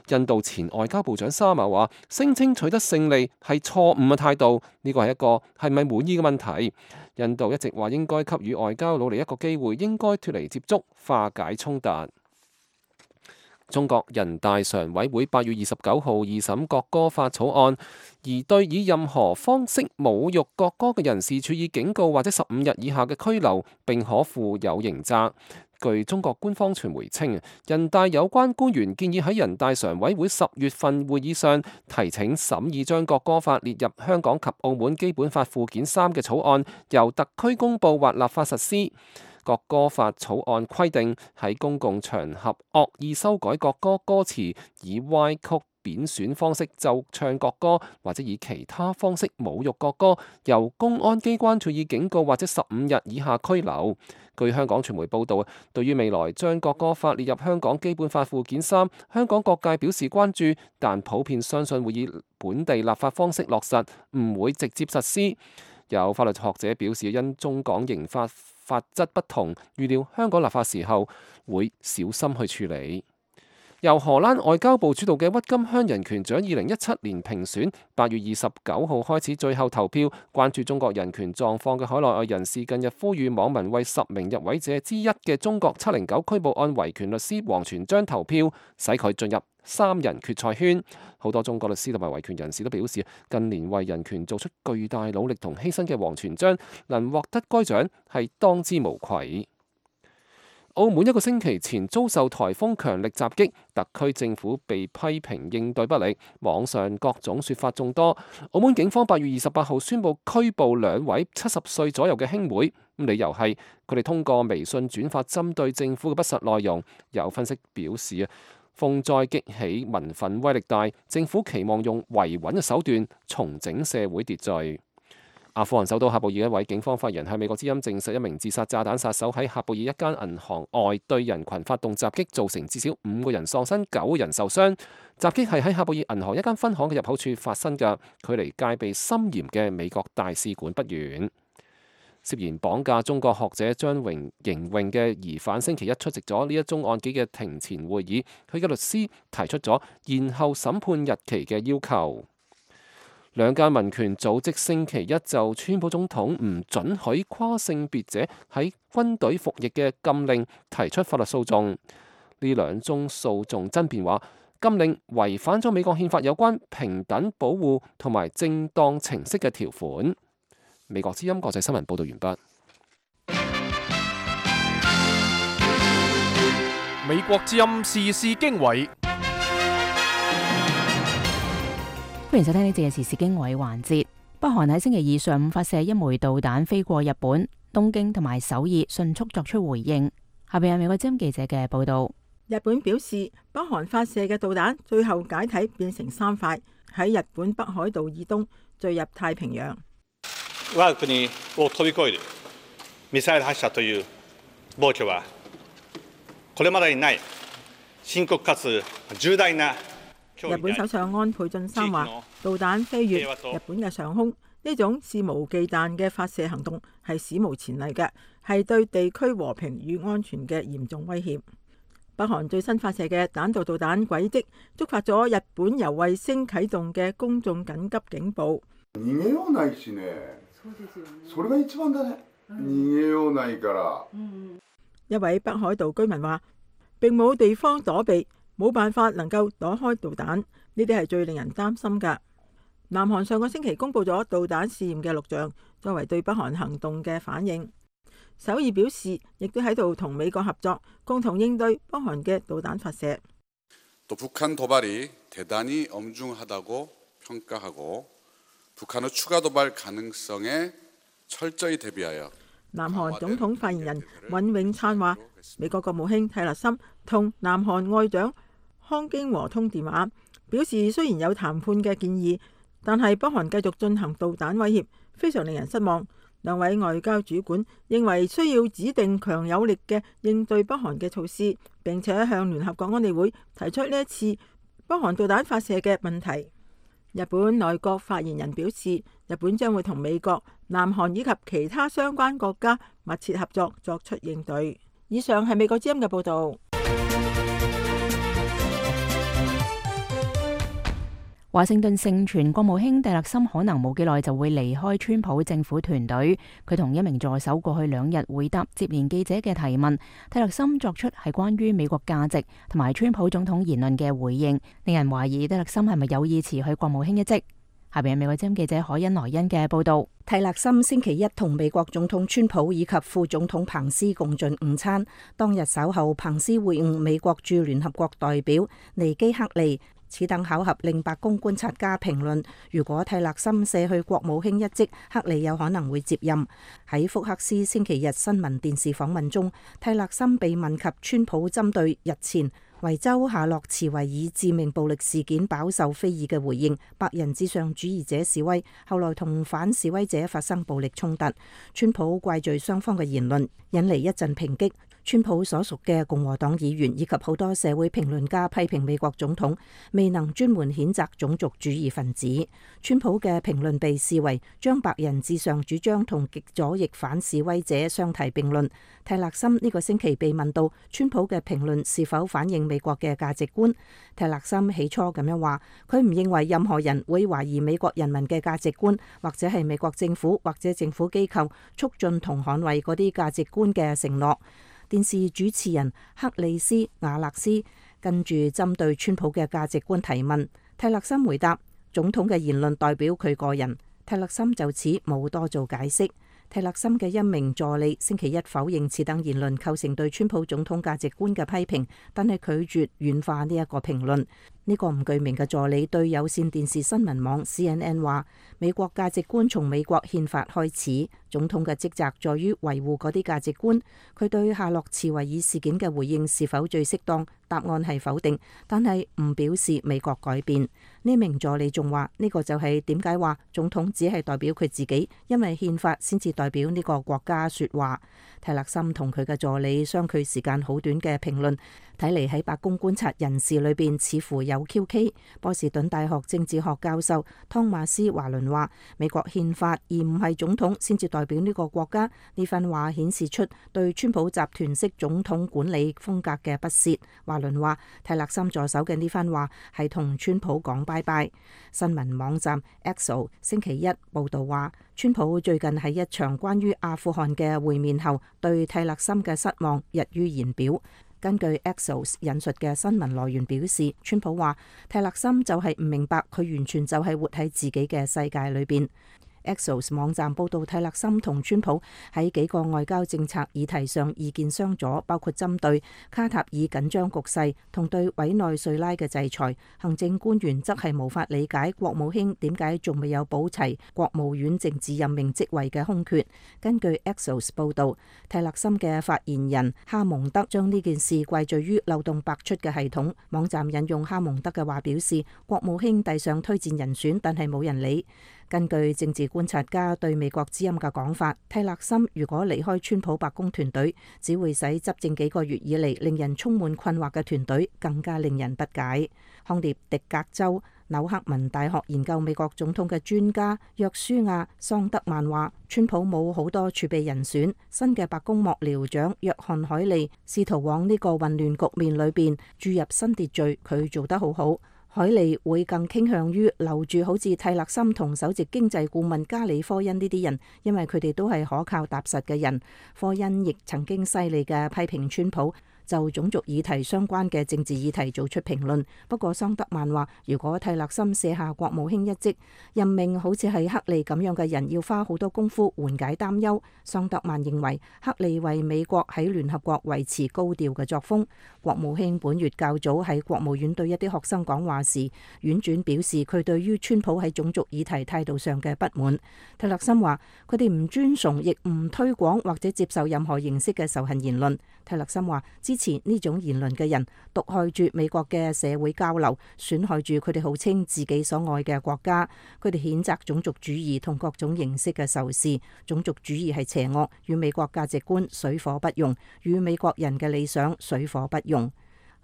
印度前外交部長沙馬話，聲稱取得勝利係錯誤嘅態度，呢個係一個係咪滿意嘅問題。印度一直話應該給予外交努力一個機會，應該脫離接觸，化解衝突。中國人大常委會八月二十九號二審國歌法草案，而對以任何方式侮辱國歌嘅人士處以警告或者十五日以下嘅拘留，並可負有刑責。據中國官方傳媒稱，人大有關官員建議喺人大常委會十月份會議上提請審議將國歌法列入香港及澳門基本法附件三嘅草案，由特區公佈或立法實施。國歌法草案規定，喺公共場合惡意修改國歌歌詞，以歪曲、貶損方式奏唱國歌，或者以其他方式侮辱國歌，由公安機關處以警告或者十五日以下拘留。據香港傳媒報導，對於未來將國歌法列入香港基本法附件三，香港各界表示關注，但普遍相信會以本地立法方式落實，唔會直接實施。有法律學者表示，因中港刑法法則不同，預料香港立法時候會小心去處理。由荷蘭外交部主導嘅鬱金香人權獎二零一七年評選，八月二十九號開始最後投票。關注中國人權狀況嘅海內外人士近日呼籲網民為十名入圍者之一嘅中國七零九拘捕案維權律師王全璋投票，使佢進入三人決賽圈。好多中國律師同埋維權人士都表示，近年為人權做出巨大努力同犧牲嘅王全璋能獲得該獎係當之無愧。澳門一個星期前遭受颱風強力襲擊，特區政府被批評應對不力，網上各種說法眾多。澳門警方八月二十八號宣布拘捕兩位七十歲左右嘅兄妹，理由係佢哋通過微信轉發針對政府嘅不實內容。有分析表示啊，風災激起民憤威力大，政府期望用維穩嘅手段重整社會秩序。阿富汗首都喀布爾一位警方發言人向美國之音證實，一名自殺炸彈殺手喺喀布爾一間銀行外對人群發動襲擊，造成至少五個人喪生，九個人受傷。襲擊係喺喀布爾銀行一間分行嘅入口處發生嘅，距離戒備森嚴嘅美國大使館不遠。涉嫌綁架中國學者張榮瑩穎嘅疑犯星期一出席咗呢一宗案件嘅庭前會議，佢嘅律師提出咗延後審判日期嘅要求。兩間民權組織星期一就川普總統唔准許跨性別者喺軍隊服役嘅禁令提出法律訴訟。呢兩宗訴訟爭辯話，禁令違反咗美國憲法有關平等保護同埋正當程式嘅條款。美國之音國際新聞報道完畢。美國之音時事經緯，歡迎收聽呢節嘅時事經緯環節。北韓喺星期二上午發射一枚導彈飛過日本，東京同埋首爾迅速作出回應。下邊係美國之音記者嘅報道。日本表示，北韓發射嘅導彈最後解體變成三塊，喺日本北海道以東墜入太平洋。我が國を飛び越えるミサイル発射という暴挙はこれまでにない深刻かつ重大な。日本首相安倍晉三話，導彈飛越日本嘅上空，呢種肆無忌憚嘅發射行動係史無前例嘅，係對地區和平與安全嘅嚴重威脅。北韓最新發射嘅彈道導彈軌跡觸發咗日本由衛星啟動嘅公眾緊急警報。逃げようないしね。それが一番だね。逃げようないから。一位北海道居民話：並冇地方躲避，冇辦法能夠躲開導彈，呢啲係最令人擔心㗎。南韓上個星期公布咗導彈試驗嘅錄像，作為對北韓行動嘅反應。首爾表示，亦都喺度同美國合作，共同應對北韓嘅導彈發射。북한의 추가 도발 가능성에 철저히 대비하여。南韓總統發言人尹永燦話，美國國務卿泰勒森同南韓外長康京和通電話，表示雖然有談判嘅建議，但係北韓繼續進行導彈威脅，非常令人失望。兩位外交主管認為需要指定強有力嘅應對北韓嘅措施，並且向聯合國安理會提出呢一次北韓導彈發射嘅問題。日本內閣發言人表示，日本將會同美國、南韓以及其他相關國家密切合作，作出應對。以上係美國之音嘅報導。華盛頓盛傳國務卿蒂勒森可能冇幾耐就會離開川普政府團隊。佢同一名助手過去兩日回答接連記者嘅提問。蒂勒森作出係關於美國價值同埋川普總統言論嘅回應，令人懷疑蒂勒森係咪有意辭去國務卿一職。下邊係美國之音記者海恩萊恩嘅報導。蒂勒森星期一同美國總統川普以及副總統彭斯共進午餐。當日稍後，彭斯會晤美國駐聯合國代表尼基克利。此等巧合令白宮觀察家評論，如果蒂勒森卸去國務卿一職，克利有可能會接任。喺福克斯星期日新聞電視訪問中，蒂勒森被問及川普針對日前維州夏洛茨維爾致命暴力事件飽受非議嘅回應，白人至上主義者示威，後來同反示威者發生暴力衝突，川普怪罪雙方嘅言論，引嚟一陣抨擊。川普所屬嘅共和黨議員以及好多社會評論家批評美國總統未能專門譴責種族主義分子。川普嘅評論被視為將白人至上主張同極左翼反示威者相提並論。蒂勒森呢個星期被問到川普嘅評論是否反映美國嘅價值觀，蒂勒森起初咁樣話，佢唔認為任何人會懷疑美國人民嘅價值觀，或者係美國政府或者政府機構促進同捍衛嗰啲價值觀嘅承諾。電視主持人克里斯瓦勒斯跟住針對川普嘅價值觀提問，蒂勒森回答總統嘅言論代表佢個人。蒂勒森就此冇多做解釋。泰勒森嘅一名助理星期一否認此等言論構成對川普總統價值觀嘅批評，但係拒絕軟化呢一個評論。呢個唔具名嘅助理對有線電視新聞網 C N N 話：美國價值觀從美國憲法開始，總統嘅職責在於維護嗰啲價值觀。佢對夏洛茨維爾事件嘅回應是否最適當？答案係否定，但係唔表示美國改變。呢名助理仲話：呢個就係點解話總統只係代表佢自己，因為憲法先至代表呢個國家說話。泰勒森同佢嘅助理相距時間好短嘅評論，睇嚟喺白宮觀察人士裏邊似乎有 Q K。波士頓大學政治學教授湯馬斯華倫話：美國憲法而唔係總統先至代表呢個國家。呢番話顯示出對川普集團式總統管理風格嘅不屑。華倫話：泰勒森助手嘅呢番話係同川普講拜拜。新聞網站 Axios 星期一報道話，川普最近喺一場關於阿富汗嘅會面後，對泰勒森嘅失望溢於言表。根據 Axios 引述嘅新聞來源表示，川普話泰勒森就係唔明白佢完全就係活喺自己嘅世界裏邊。Axios 網站報道，泰勒森同川普喺幾個外交政策議題上意見相左，包括針對卡塔爾緊張局勢同對委內瑞拉嘅制裁。行政官員則係無法理解國務卿點解仲未有補齊國務院政治任命職位嘅空缺。根據 Axios 報道，泰勒森嘅發言人哈蒙德將呢件事歸罪於漏洞百出嘅系統。網站引用哈蒙德嘅話表示，國務卿遞上推薦人選，但係冇人理。根據政治觀察家對美國之音嘅講法，泰勒森如果離開川普白宮團隊，只會使執政幾個月以嚟令人充滿困惑嘅團隊更加令人不解。康涅狄格州紐克文大學研究美國總統嘅專家約書亞桑德曼話：川普冇好多儲備人選，新嘅白宮幕僚長約翰海利試圖往呢個混亂局面裏邊注入新秩序，佢做得好好。海利會更傾向於留住好似泰勒森同首席經濟顧問加里科恩呢啲人，因為佢哋都係可靠踏實嘅人。科恩亦曾經犀利嘅批評川普就種族議題相關嘅政治議題做出評論。不過桑德曼話，如果泰勒森卸下國務卿一職，任命好似係克利咁樣嘅人，要花好多功夫緩解擔憂。桑德曼認為克利為美國喺聯合國維持高調嘅作風。國務卿本月較早喺國務院對一啲學生講話時，婉轉表示佢對於川普喺種族議題態度上嘅不滿。泰勒森話佢哋唔尊崇亦唔推廣或者接受任何形式嘅仇恨言論。泰勒森話支持呢種言論嘅人毒害住美國嘅社會交流，損害住佢哋號稱自己所愛嘅國家。佢哋譴責種族主義同各種形式嘅仇視。種族主義係邪惡，與美國價值觀水火不容，與美國人嘅理想水火不容。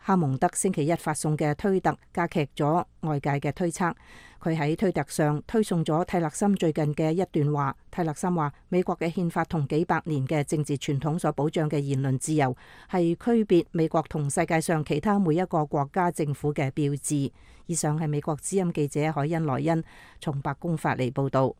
哈蒙德星期一發送嘅推特加劇咗外界嘅推測。佢喺推特上推送咗泰勒森最近嘅一段話。泰勒森話：美國嘅憲法同幾百年嘅政治傳統所保障嘅言論自由，係區別美國同世界上其他每一個國家政府嘅標誌。以上係美國之音記者海恩萊恩從白宮發嚟報導。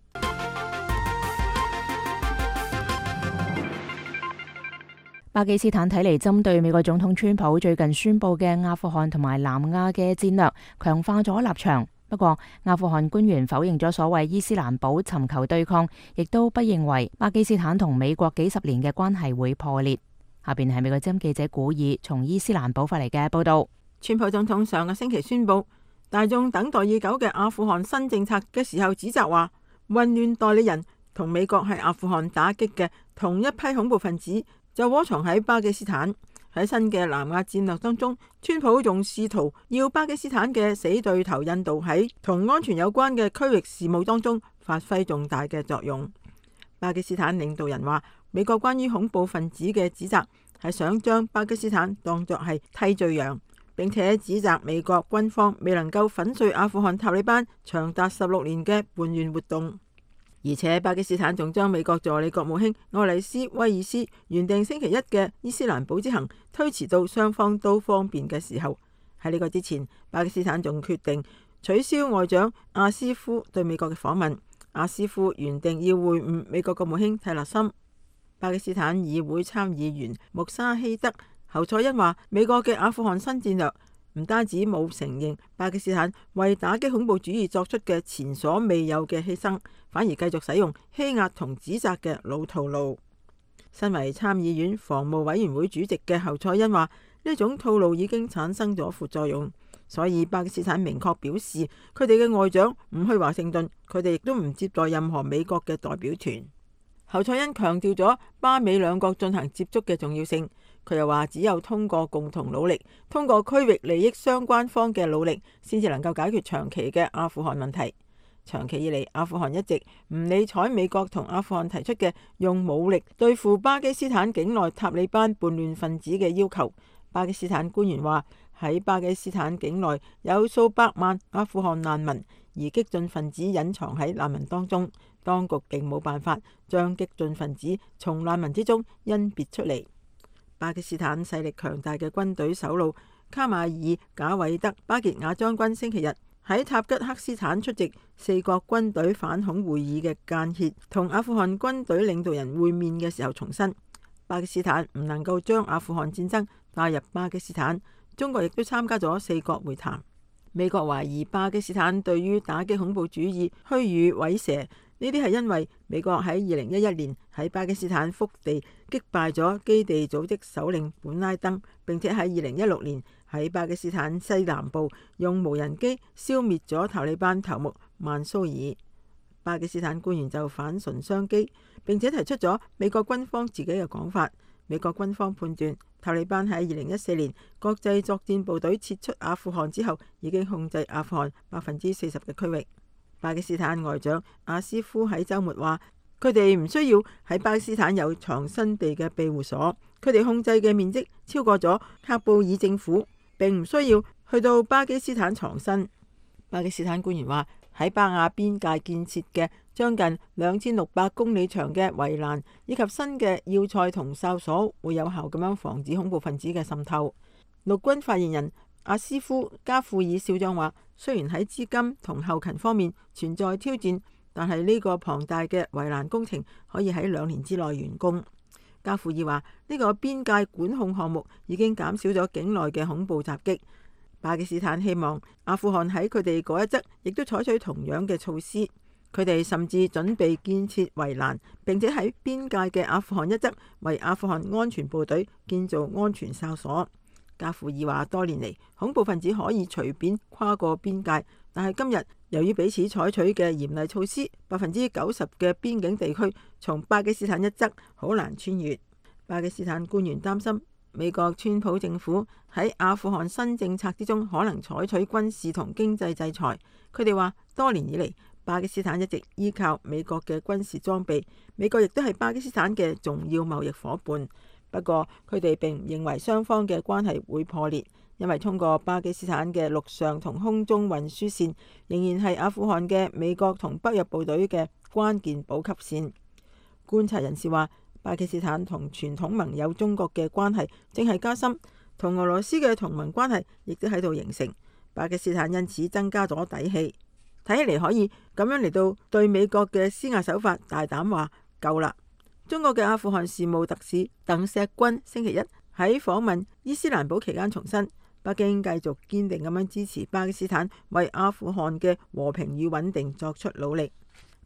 巴基斯坦睇嚟針對美國總統川普最近宣布嘅阿富汗同埋南亞嘅戰略，強化咗立場。不過，阿富汗官員否認咗所謂伊斯蘭堡尋求對抗，亦都不認為巴基斯坦同美國幾十年嘅關係會破裂。下邊係美國之音記者古爾從伊斯蘭堡發嚟嘅報道。川普總統上個星期宣布大眾等待已久嘅阿富汗新政策嘅時候，指責話混亂代理人同美國喺阿富汗打擊嘅同一批恐怖分子就窩藏喺巴基斯坦。喺新嘅南亞戰略當中，川普仲試圖要巴基斯坦嘅死對頭印度喺同安全有關嘅區域事務當中發揮重大嘅作用。巴基斯坦領導人話，美國關於恐怖分子嘅指責係想將巴基斯坦當作係替罪羊，並且指責美國軍方未能夠粉碎阿富汗塔利班長達十六年嘅叛亂活動。而且巴基斯坦仲將美國助理國務卿愛麗絲威爾斯原定星期一嘅伊斯蘭堡之行推遲到雙方都方便嘅時候。喺呢個之前，巴基斯坦仲決定取消外長阿斯夫對美國嘅訪問。阿斯夫原定要會晤美國國務卿泰勒森。巴基斯坦議會參議員穆沙希德侯賽因話，美國嘅阿富汗新戰略唔單止冇承認巴基斯坦為打擊恐怖主義作出嘅前所未有嘅犧牲，反而繼續使用欺壓同指責嘅老套路。身為參議院防務委員會主席嘅侯賽恩話：呢種套路已經產生咗副作用，所以巴基斯坦明確表示佢哋嘅外長唔去華盛頓，佢哋亦都唔接待任何美國嘅代表團。侯賽恩強調咗巴美兩國進行接觸嘅重要性。佢又話：只有通過共同努力，通過區域利益相關方嘅努力，先至能夠解決長期嘅阿富汗問題。長期以嚟，阿富汗一直唔理睬美國同阿富汗提出嘅用武力對付巴基斯坦境內塔利班叛亂分子嘅要求。巴基斯坦官員話：喺巴基斯坦境內有數百萬阿富汗難民，而激進分子隱藏喺難民當中，當局並冇辦法將激進分子從難民之中甄別出嚟。巴基斯坦勢力強大嘅軍隊首腦卡馬爾賈偉德巴傑亞將軍星期日喺塔吉克斯坦出席四國軍隊反恐會議嘅間歇同阿富汗軍隊領導人會面嘅時候重申，巴基斯坦唔能夠將阿富汗戰爭帶入巴基斯坦。中國亦都參加咗四國會談。美國懷疑巴基斯坦對於打擊恐怖主義虛與委蛇，呢啲係因為美國喺二零一一年喺巴基斯坦腹地擊敗咗基地組織首領本拉登，並且喺二零一六年喺巴基斯坦西南部用無人機消滅咗塔利班頭目曼蘇爾。巴基斯坦官員就反唇相譏，並且提出咗美國軍方自己嘅講法。美國軍方判斷塔利班喺二零一四年國際作戰部隊撤出阿富汗之後，已經控制阿富汗百分之四十嘅區域。巴基斯坦外長阿斯夫喺週末話：佢哋唔需要喺巴基斯坦有藏身地嘅庇護所，佢哋控制嘅面積超過咗喀布爾政府，並唔需要去到巴基斯坦藏身。巴基斯坦官員話：喺巴亞邊界建設嘅將近兩千六百公里長嘅圍欄以及新嘅要塞同哨所，會有效咁樣防止恐怖分子嘅滲透。陸軍發言人阿斯夫加庫爾少將話：雖然喺資金同後勤方面存在挑戰，但係呢個龐大嘅圍欄工程可以喺兩年之內完工。加庫爾話：呢個邊界管控項目已經減少咗境內嘅恐怖襲擊。巴基斯坦希望阿富汗喺佢哋嗰一側亦都採取同樣嘅措施。佢哋甚至準備建設圍欄，並且喺邊界嘅阿富汗一側為阿富汗安全部隊建造安全哨所。加庫爾話：多年嚟，恐怖分子可以隨便跨過邊界，但係今日由於彼此採取嘅嚴厲措施，百分之九十嘅邊境地區從巴基斯坦一側好難穿越。巴基斯坦官員擔心美國川普政府喺阿富汗新政策之中可能採取軍事同經濟制裁。佢哋話：多年以嚟，巴基斯坦一直依靠美國嘅軍事裝備，美國亦都係巴基斯坦嘅重要貿易夥伴。不過，佢哋並唔認為雙方嘅關係會破裂，因為通過巴基斯坦嘅陸上同空中運輸線，仍然係阿富汗嘅美國同北約部隊嘅關鍵補給線。觀察人士話，巴基斯坦同傳統盟友中國嘅關係正係加深，同俄羅斯嘅同盟關係亦都喺度形成。巴基斯坦因此增加咗底氣，睇起嚟可以咁樣嚟到對美國嘅施壓手法大膽話夠啦。中國嘅阿富汗事務特使鄧錫軍星期一喺訪問伊斯蘭堡期間重申，北京繼續堅定咁樣支持巴基斯坦為阿富汗嘅和平與穩定作出努力。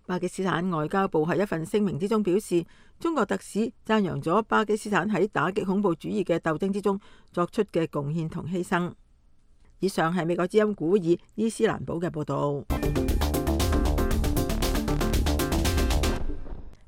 巴基斯坦外交部喺一份聲明之中表示，中國特使讚揚咗巴基斯坦喺打擊恐怖主義嘅鬥爭之中作出嘅貢獻同犧牲。以上係美國之音古爾伊斯蘭堡嘅報道。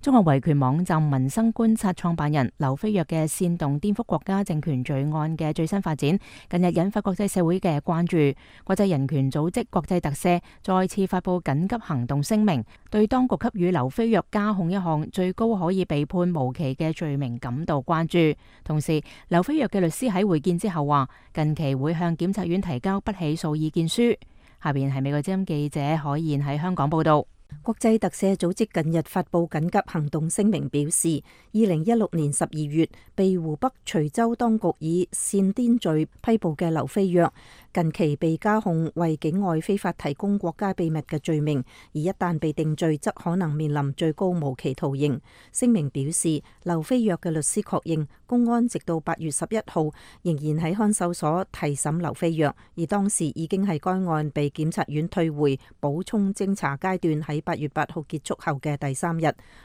中國維權網站民生觀察創辦人劉飛躍嘅煽動顛覆國家政權罪案嘅最新發展，近日引發國際社會嘅關注。國際人權組織國際特赦再次發布緊急行動聲明，對當局給予劉飛躍加控一項最高可以被判無期嘅罪名感到關注。同時，劉飛躍嘅律師喺會見之後話，近期會向檢察院提交不起訴意見書。下邊係美國之音記者海燕喺香港報道。國際特赦組織近日發布緊急行動聲明，表示二零一六年十二月被湖北徐州當局以煽顛罪批捕嘅劉飛躍，近期被加控為境外非法提供國家秘密嘅罪名，而一旦被定罪，則可能面臨最高無期徒刑。聲明表示，劉飛躍嘅律師確認，公安直到八月十一號仍然喺看守所提審劉飛躍，而當時已經係該案被檢察院退回補充偵查階段喺八月八號結束後嘅第三日。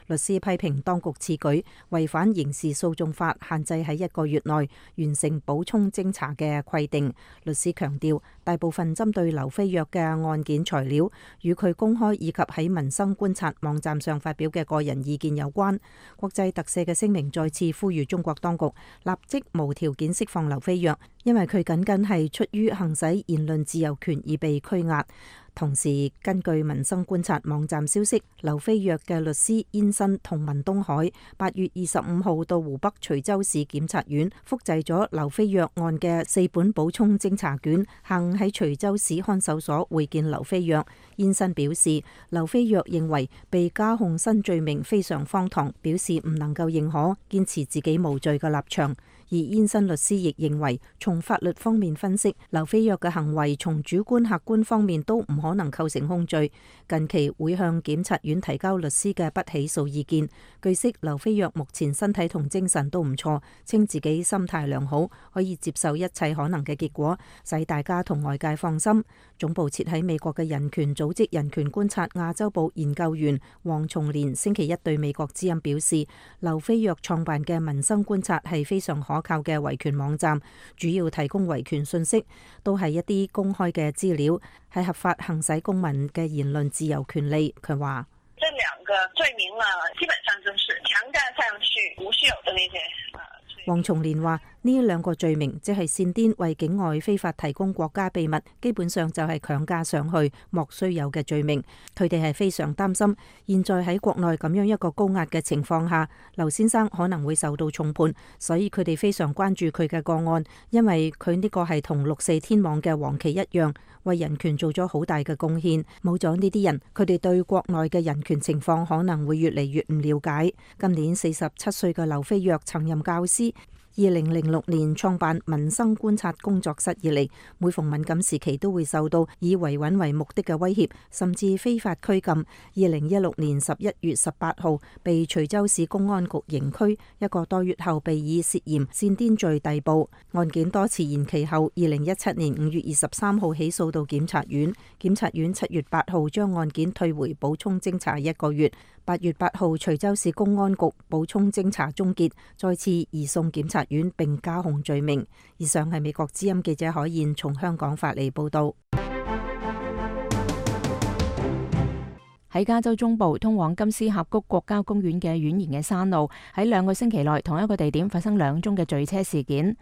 律師批評當局此舉違反刑事訴訟法限制喺一個月內完成補充偵查嘅規定。律師強調，大部分針對劉飛躍嘅案件材料與佢公開以及喺民生觀察網站上發表嘅個人意見有關。國際特赦嘅聲明再次呼籲中國當局立即無條件釋放劉飛躍，因為佢僅僅係出於行使言論自由權而被拘押。同時，根據民生觀察網站消息，劉飛躍嘅律師燕新同文東海八月二十五號到湖北徐州市檢察院複製咗劉飛躍案嘅四本補充偵查卷，下午喺徐州市看守所會見劉飛躍。燕新表示，劉飛躍認為被加控新罪名非常荒唐，表示唔能夠認可，堅持自己無罪嘅立場。而燕新律師亦認為，從法律方面分析，劉飛躍嘅行為從主觀客觀方面都唔可能構成控罪。近期會向檢察院提交律師嘅不起訴意見。據悉，劉飛躍目前身體同精神都唔錯，稱自己心態良好，可以接受一切可能嘅結果，使大家同外界放心。總部設喺美國嘅人權組織人權觀察亞洲部研究員黃松蓮星期一對美國之音表示，劉飛躍創辦嘅民生觀察係非常可靠嘅維權網站，主要提供維權信息，都係一啲公開嘅資料，係合法行使公民嘅言論自由權利。佢話：這兩個罪名呢，基本上就是強加上去無需有的那些。黃松蓮話：呢兩個罪名即係煽顛為境外非法提供國家秘密，基本上就係強加上去莫須有嘅罪名。佢哋係非常擔心，現在喺國內咁樣一個高壓嘅情況下，劉先生可能會受到重判，所以佢哋非常關注佢嘅個案，因為佢呢個係同六四天網嘅黃旗一樣，為人權做咗好大嘅貢獻。冇咗呢啲人，佢哋對國內嘅人權情況可能會越嚟越唔了解。今年四十七歲嘅劉飛躍曾任教師。二零零六年創辦民生觀察工作室以嚟，每逢敏感時期都會受到以維穩為目的嘅威脅，甚至非法拘禁。二零一六年十一月十八號被徐州市公安局刑拘，一個多月後被以涉嫌煽顛罪逮捕。案件多次延期後，二零一七年五月二十三號起訴到檢察院，檢察院七月八號將案件退回補充偵查一個月。八月八號，徐州市公安局補充偵查終結，再次移送檢察院並加控罪名。以上係美國之音記者海燕從香港發嚟報道。喺加州中部通往金絲峽谷國家公園嘅蜿蜒嘅山路，喺兩個星期內同一個地點發生兩宗嘅墜車事件。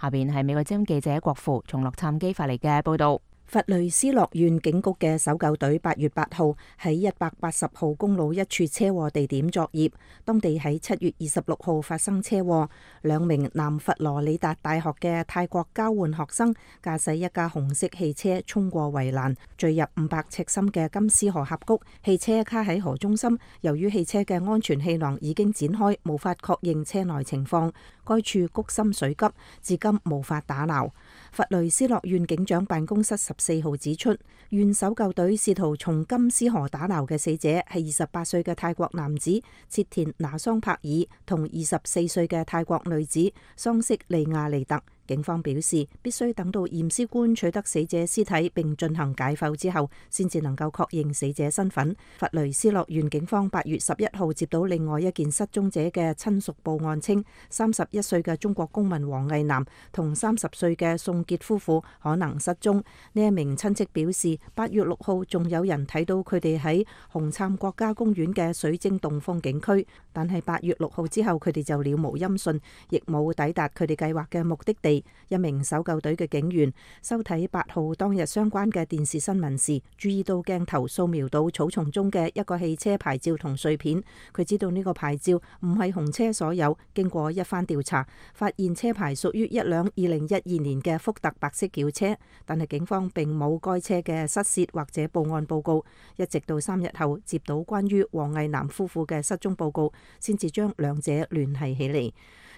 下邊係美國之音記者郭富從洛杉磯發嚟嘅報道。佛雷斯諾縣警局嘅搜救隊八月八號喺一百八十號公路一處車禍地點作業，當地喺七月二十六號發生車禍，兩名南佛羅里達大學嘅泰國交換學生駕駛一架紅色汽車衝過圍欄，墜入五百尺深嘅金絲河峽谷，汽車卡喺河中心。由於汽車嘅安全氣囊已經展開，無法確認車內情況，該處谷深水急，至今無法打撈。佛雷斯諾縣警長辦公室十四號指出，縣搜救隊試圖從金絲河打撈嘅死者係二十八歲嘅泰國男子切田拿桑柏爾同二十四歲嘅泰國女子桑色利亞利特。警方表示，必須等到驗屍官取得死者屍體並進行解剖之後，先至能夠確認死者身份。佛雷斯諾縣警方八月十一號接到另外一件失蹤者嘅親屬報案，稱三十一歲嘅中國公民黃毅南同三十歲嘅宋傑夫婦可能失蹤。呢一名親戚表示，八月六號仲有人睇到佢哋喺紅杉國家公園嘅水晶洞風景區，但係八月六號之後佢哋就了無音訊，亦冇抵達佢哋計劃嘅目的地。利。一名搜救隊嘅警員收睇八號當日相關嘅電視新聞時，注意到鏡頭掃描到草叢中嘅一個汽車牌照同碎片。佢知道呢個牌照唔係紅車所有。經過一番調查，發現車牌屬於一輛二零一二年嘅福特白色轎車，但係警方並冇該車嘅失竊或者報案報告。一直到三日後接到關於黃毅南夫婦嘅失蹤報告，先至將兩者聯繫起嚟。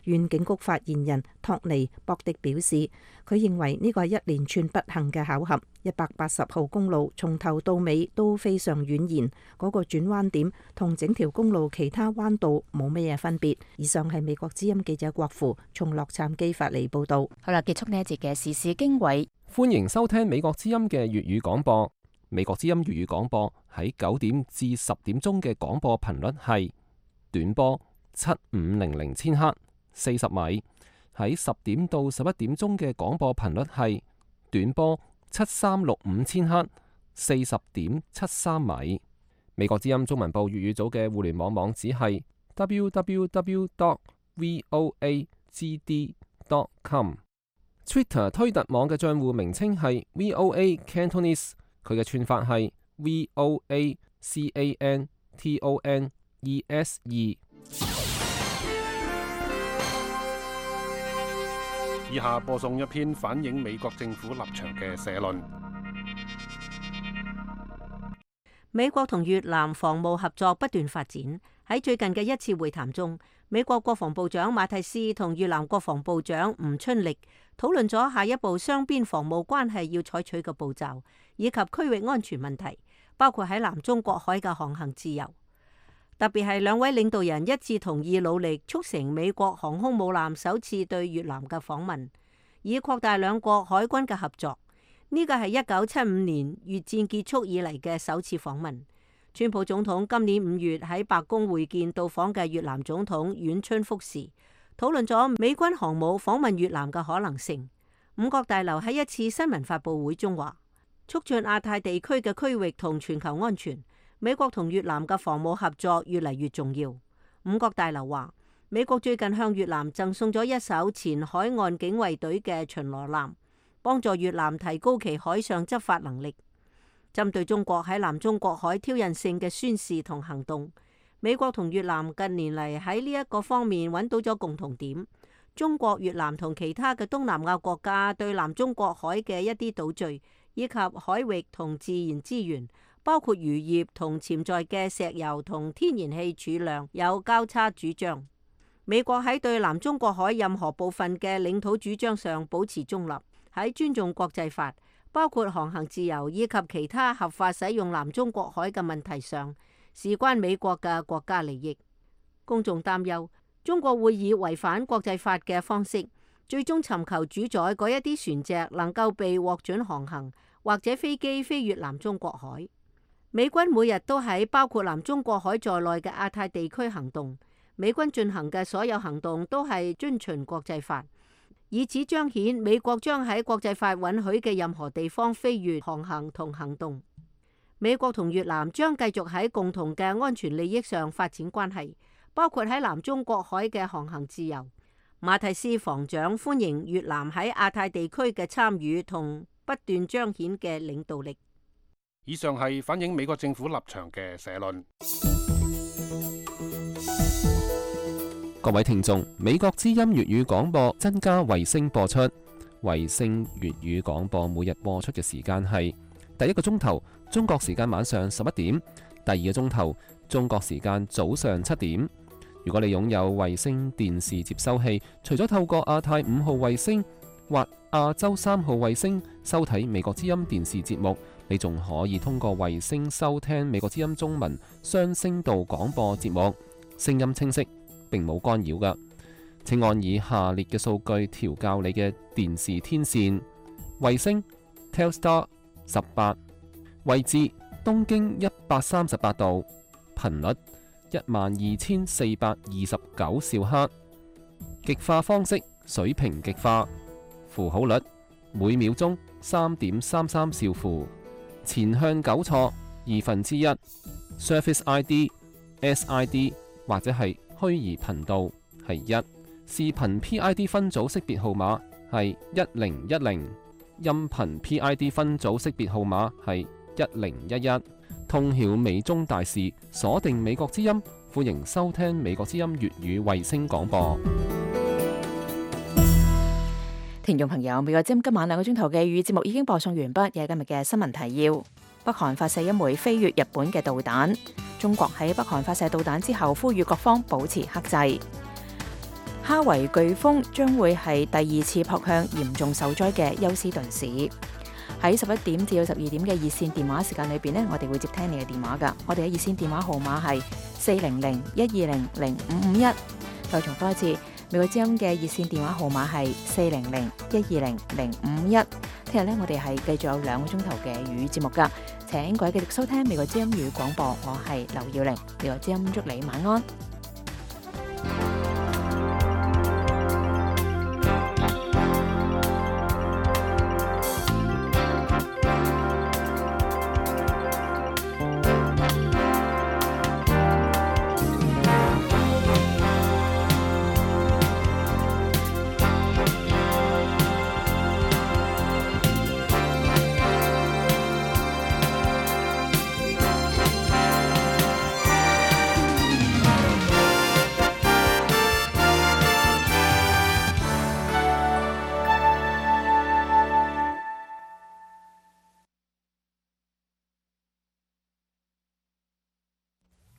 縣警局發言人托尼博迪表示，佢認為呢個係一連串不幸嘅巧合。一百八十號公路從頭到尾都非常蜿蜒，嗰個轉彎點同整條公路其他彎道冇乜嘢分別。以上係美國之音記者郭芙從洛杉磯發嚟報道。好啦，結束呢一節嘅時事經緯。歡迎收聽美國之音嘅粵語廣播。美國之音粵語廣播喺九點至十點鐘嘅廣播頻率係短波七五零零千赫。四十米。喺十點到十一點鐘嘅廣播頻率係短波七三六五千赫，四十點七三米。美國之音中文部粵語組嘅互聯網網址係 w w w dot voa g d dot com。Twitter 推特網嘅賬戶名稱係 V O A Cantonese， 佢嘅串法係 V O A C A N T O N E S E。以下播送一篇反映美國政府立場嘅社論。美國同越南防務合作不斷發展。喺最近嘅一次會談中，美國國防部長馬蒂斯同越南國防部長吳春力討論咗下一步雙邊防務關係要採取嘅步驟，以及區域安全問題，包括喺南中國海嘅航行自由。特別係兩位領導人一致同意努力促成美國航空母艦首次對越南嘅訪問，以擴大兩國海軍嘅合作。呢個係一九七五年越戰結束以嚟嘅首次訪問。川普總統今年五月喺白宮會見到訪嘅越南總統阮春福時，討論咗美軍航母訪問越南嘅可能性。五角大樓喺一次新聞發佈會中話，促進亞太地區嘅區域同全球安全，美國同越南嘅防務合作越嚟越重要。五角大樓話，美國最近向越南贈送咗一艘前海岸警衛隊嘅巡邏艦，幫助越南提高其海上執法能力。針對中國喺南中國海挑釁性嘅宣示同行動，美國同越南近年嚟喺呢一個方面揾到咗共同點。中國、越南同其他嘅東南亞國家對南中國海嘅一啲島嶼以及海域同自然資源，包括漁業同潛在嘅石油同天然氣儲量有交叉主張。美國喺對南中國海任何部分嘅領土主張上保持中立，喺尊重國際法，包括航行自由以及其他合法使用南中國海嘅問題上，事關美國嘅國家利益。公眾擔憂中國會以違反國際法嘅方式，最終尋求主宰嗰一啲船隻能夠被獲准航行，或者飛機飛越南中國海。美軍每日都喺包括南中國海在內嘅亞太地區行動，美軍進行嘅所有行動都係遵循國際法，以此彰顯美國將喺國際法允許嘅任何地方飛越航行同行動。美國同越南將繼續喺共同嘅安全利益上發展關係，包括喺南中國海嘅航行自由。馬蒂斯防長歡迎越南喺亞太地區嘅參與同不斷彰顯嘅領導力。以上係反映美國政府立場嘅社論。各位聽眾，美國之音粵語廣播增加衛星播出。衛星粵語廣播每日播出嘅時間係第一個鐘頭中國時間晚上十一點，第二個鐘頭中國時間早上七點。如果你擁有衛星電視接收器，除咗透過亞太五號衛星或亞洲三號衛星收睇美國之音電視節目，你仲可以通過衛星收聽美國之音中文雙聲道廣播節目，聲音清晰，並冇干擾㗎。請按以下列嘅數據調校你嘅電視天線：衛星 Telstar 十八，位置東經一百三十八度，頻率一萬二千四百二十九兆赫，極化方式水平極化，符號率每秒鐘三點三三兆符，前向糾錯二分之一 ，Surface I D、S I D 或者係虛擬頻道係一，視頻 P I D 分組識別號碼係一零一零，音頻 P I D 分組識別號碼係一零一一。通曉美中大事，鎖定美國之音，歡迎收聽美國之音粵語衛星廣播。聽眾朋友，美國之音今晚兩個鐘頭嘅粵語節目已經播送完畢，有今日嘅新聞提要。北韓發射一枚飛越日本嘅導彈，中國喺北韓發射導彈之後，呼籲各方保持克制。哈維颶風將會係第二次撲向嚴重受災嘅休斯頓市。喺十一點至到十二點嘅熱線電話時間裏邊呢，我哋會接聽你嘅電話噶。我哋嘅熱線電話號碼係四零零一二零零五五一。再重複一次，美國之音嘅熱線電話號碼係四零零一二零零五五一。聽日呢，我哋係繼續有兩個鐘頭嘅粵語節目噶，請各位繼續收聽美國之音粵語廣播。我係劉耀玲，美國之音祝你晚安。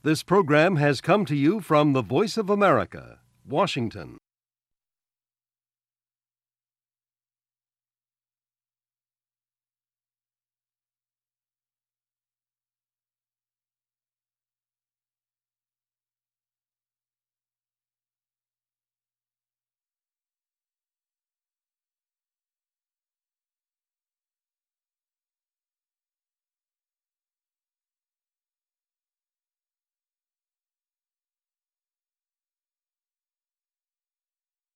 This program has come to you from the Voice of America, Washington.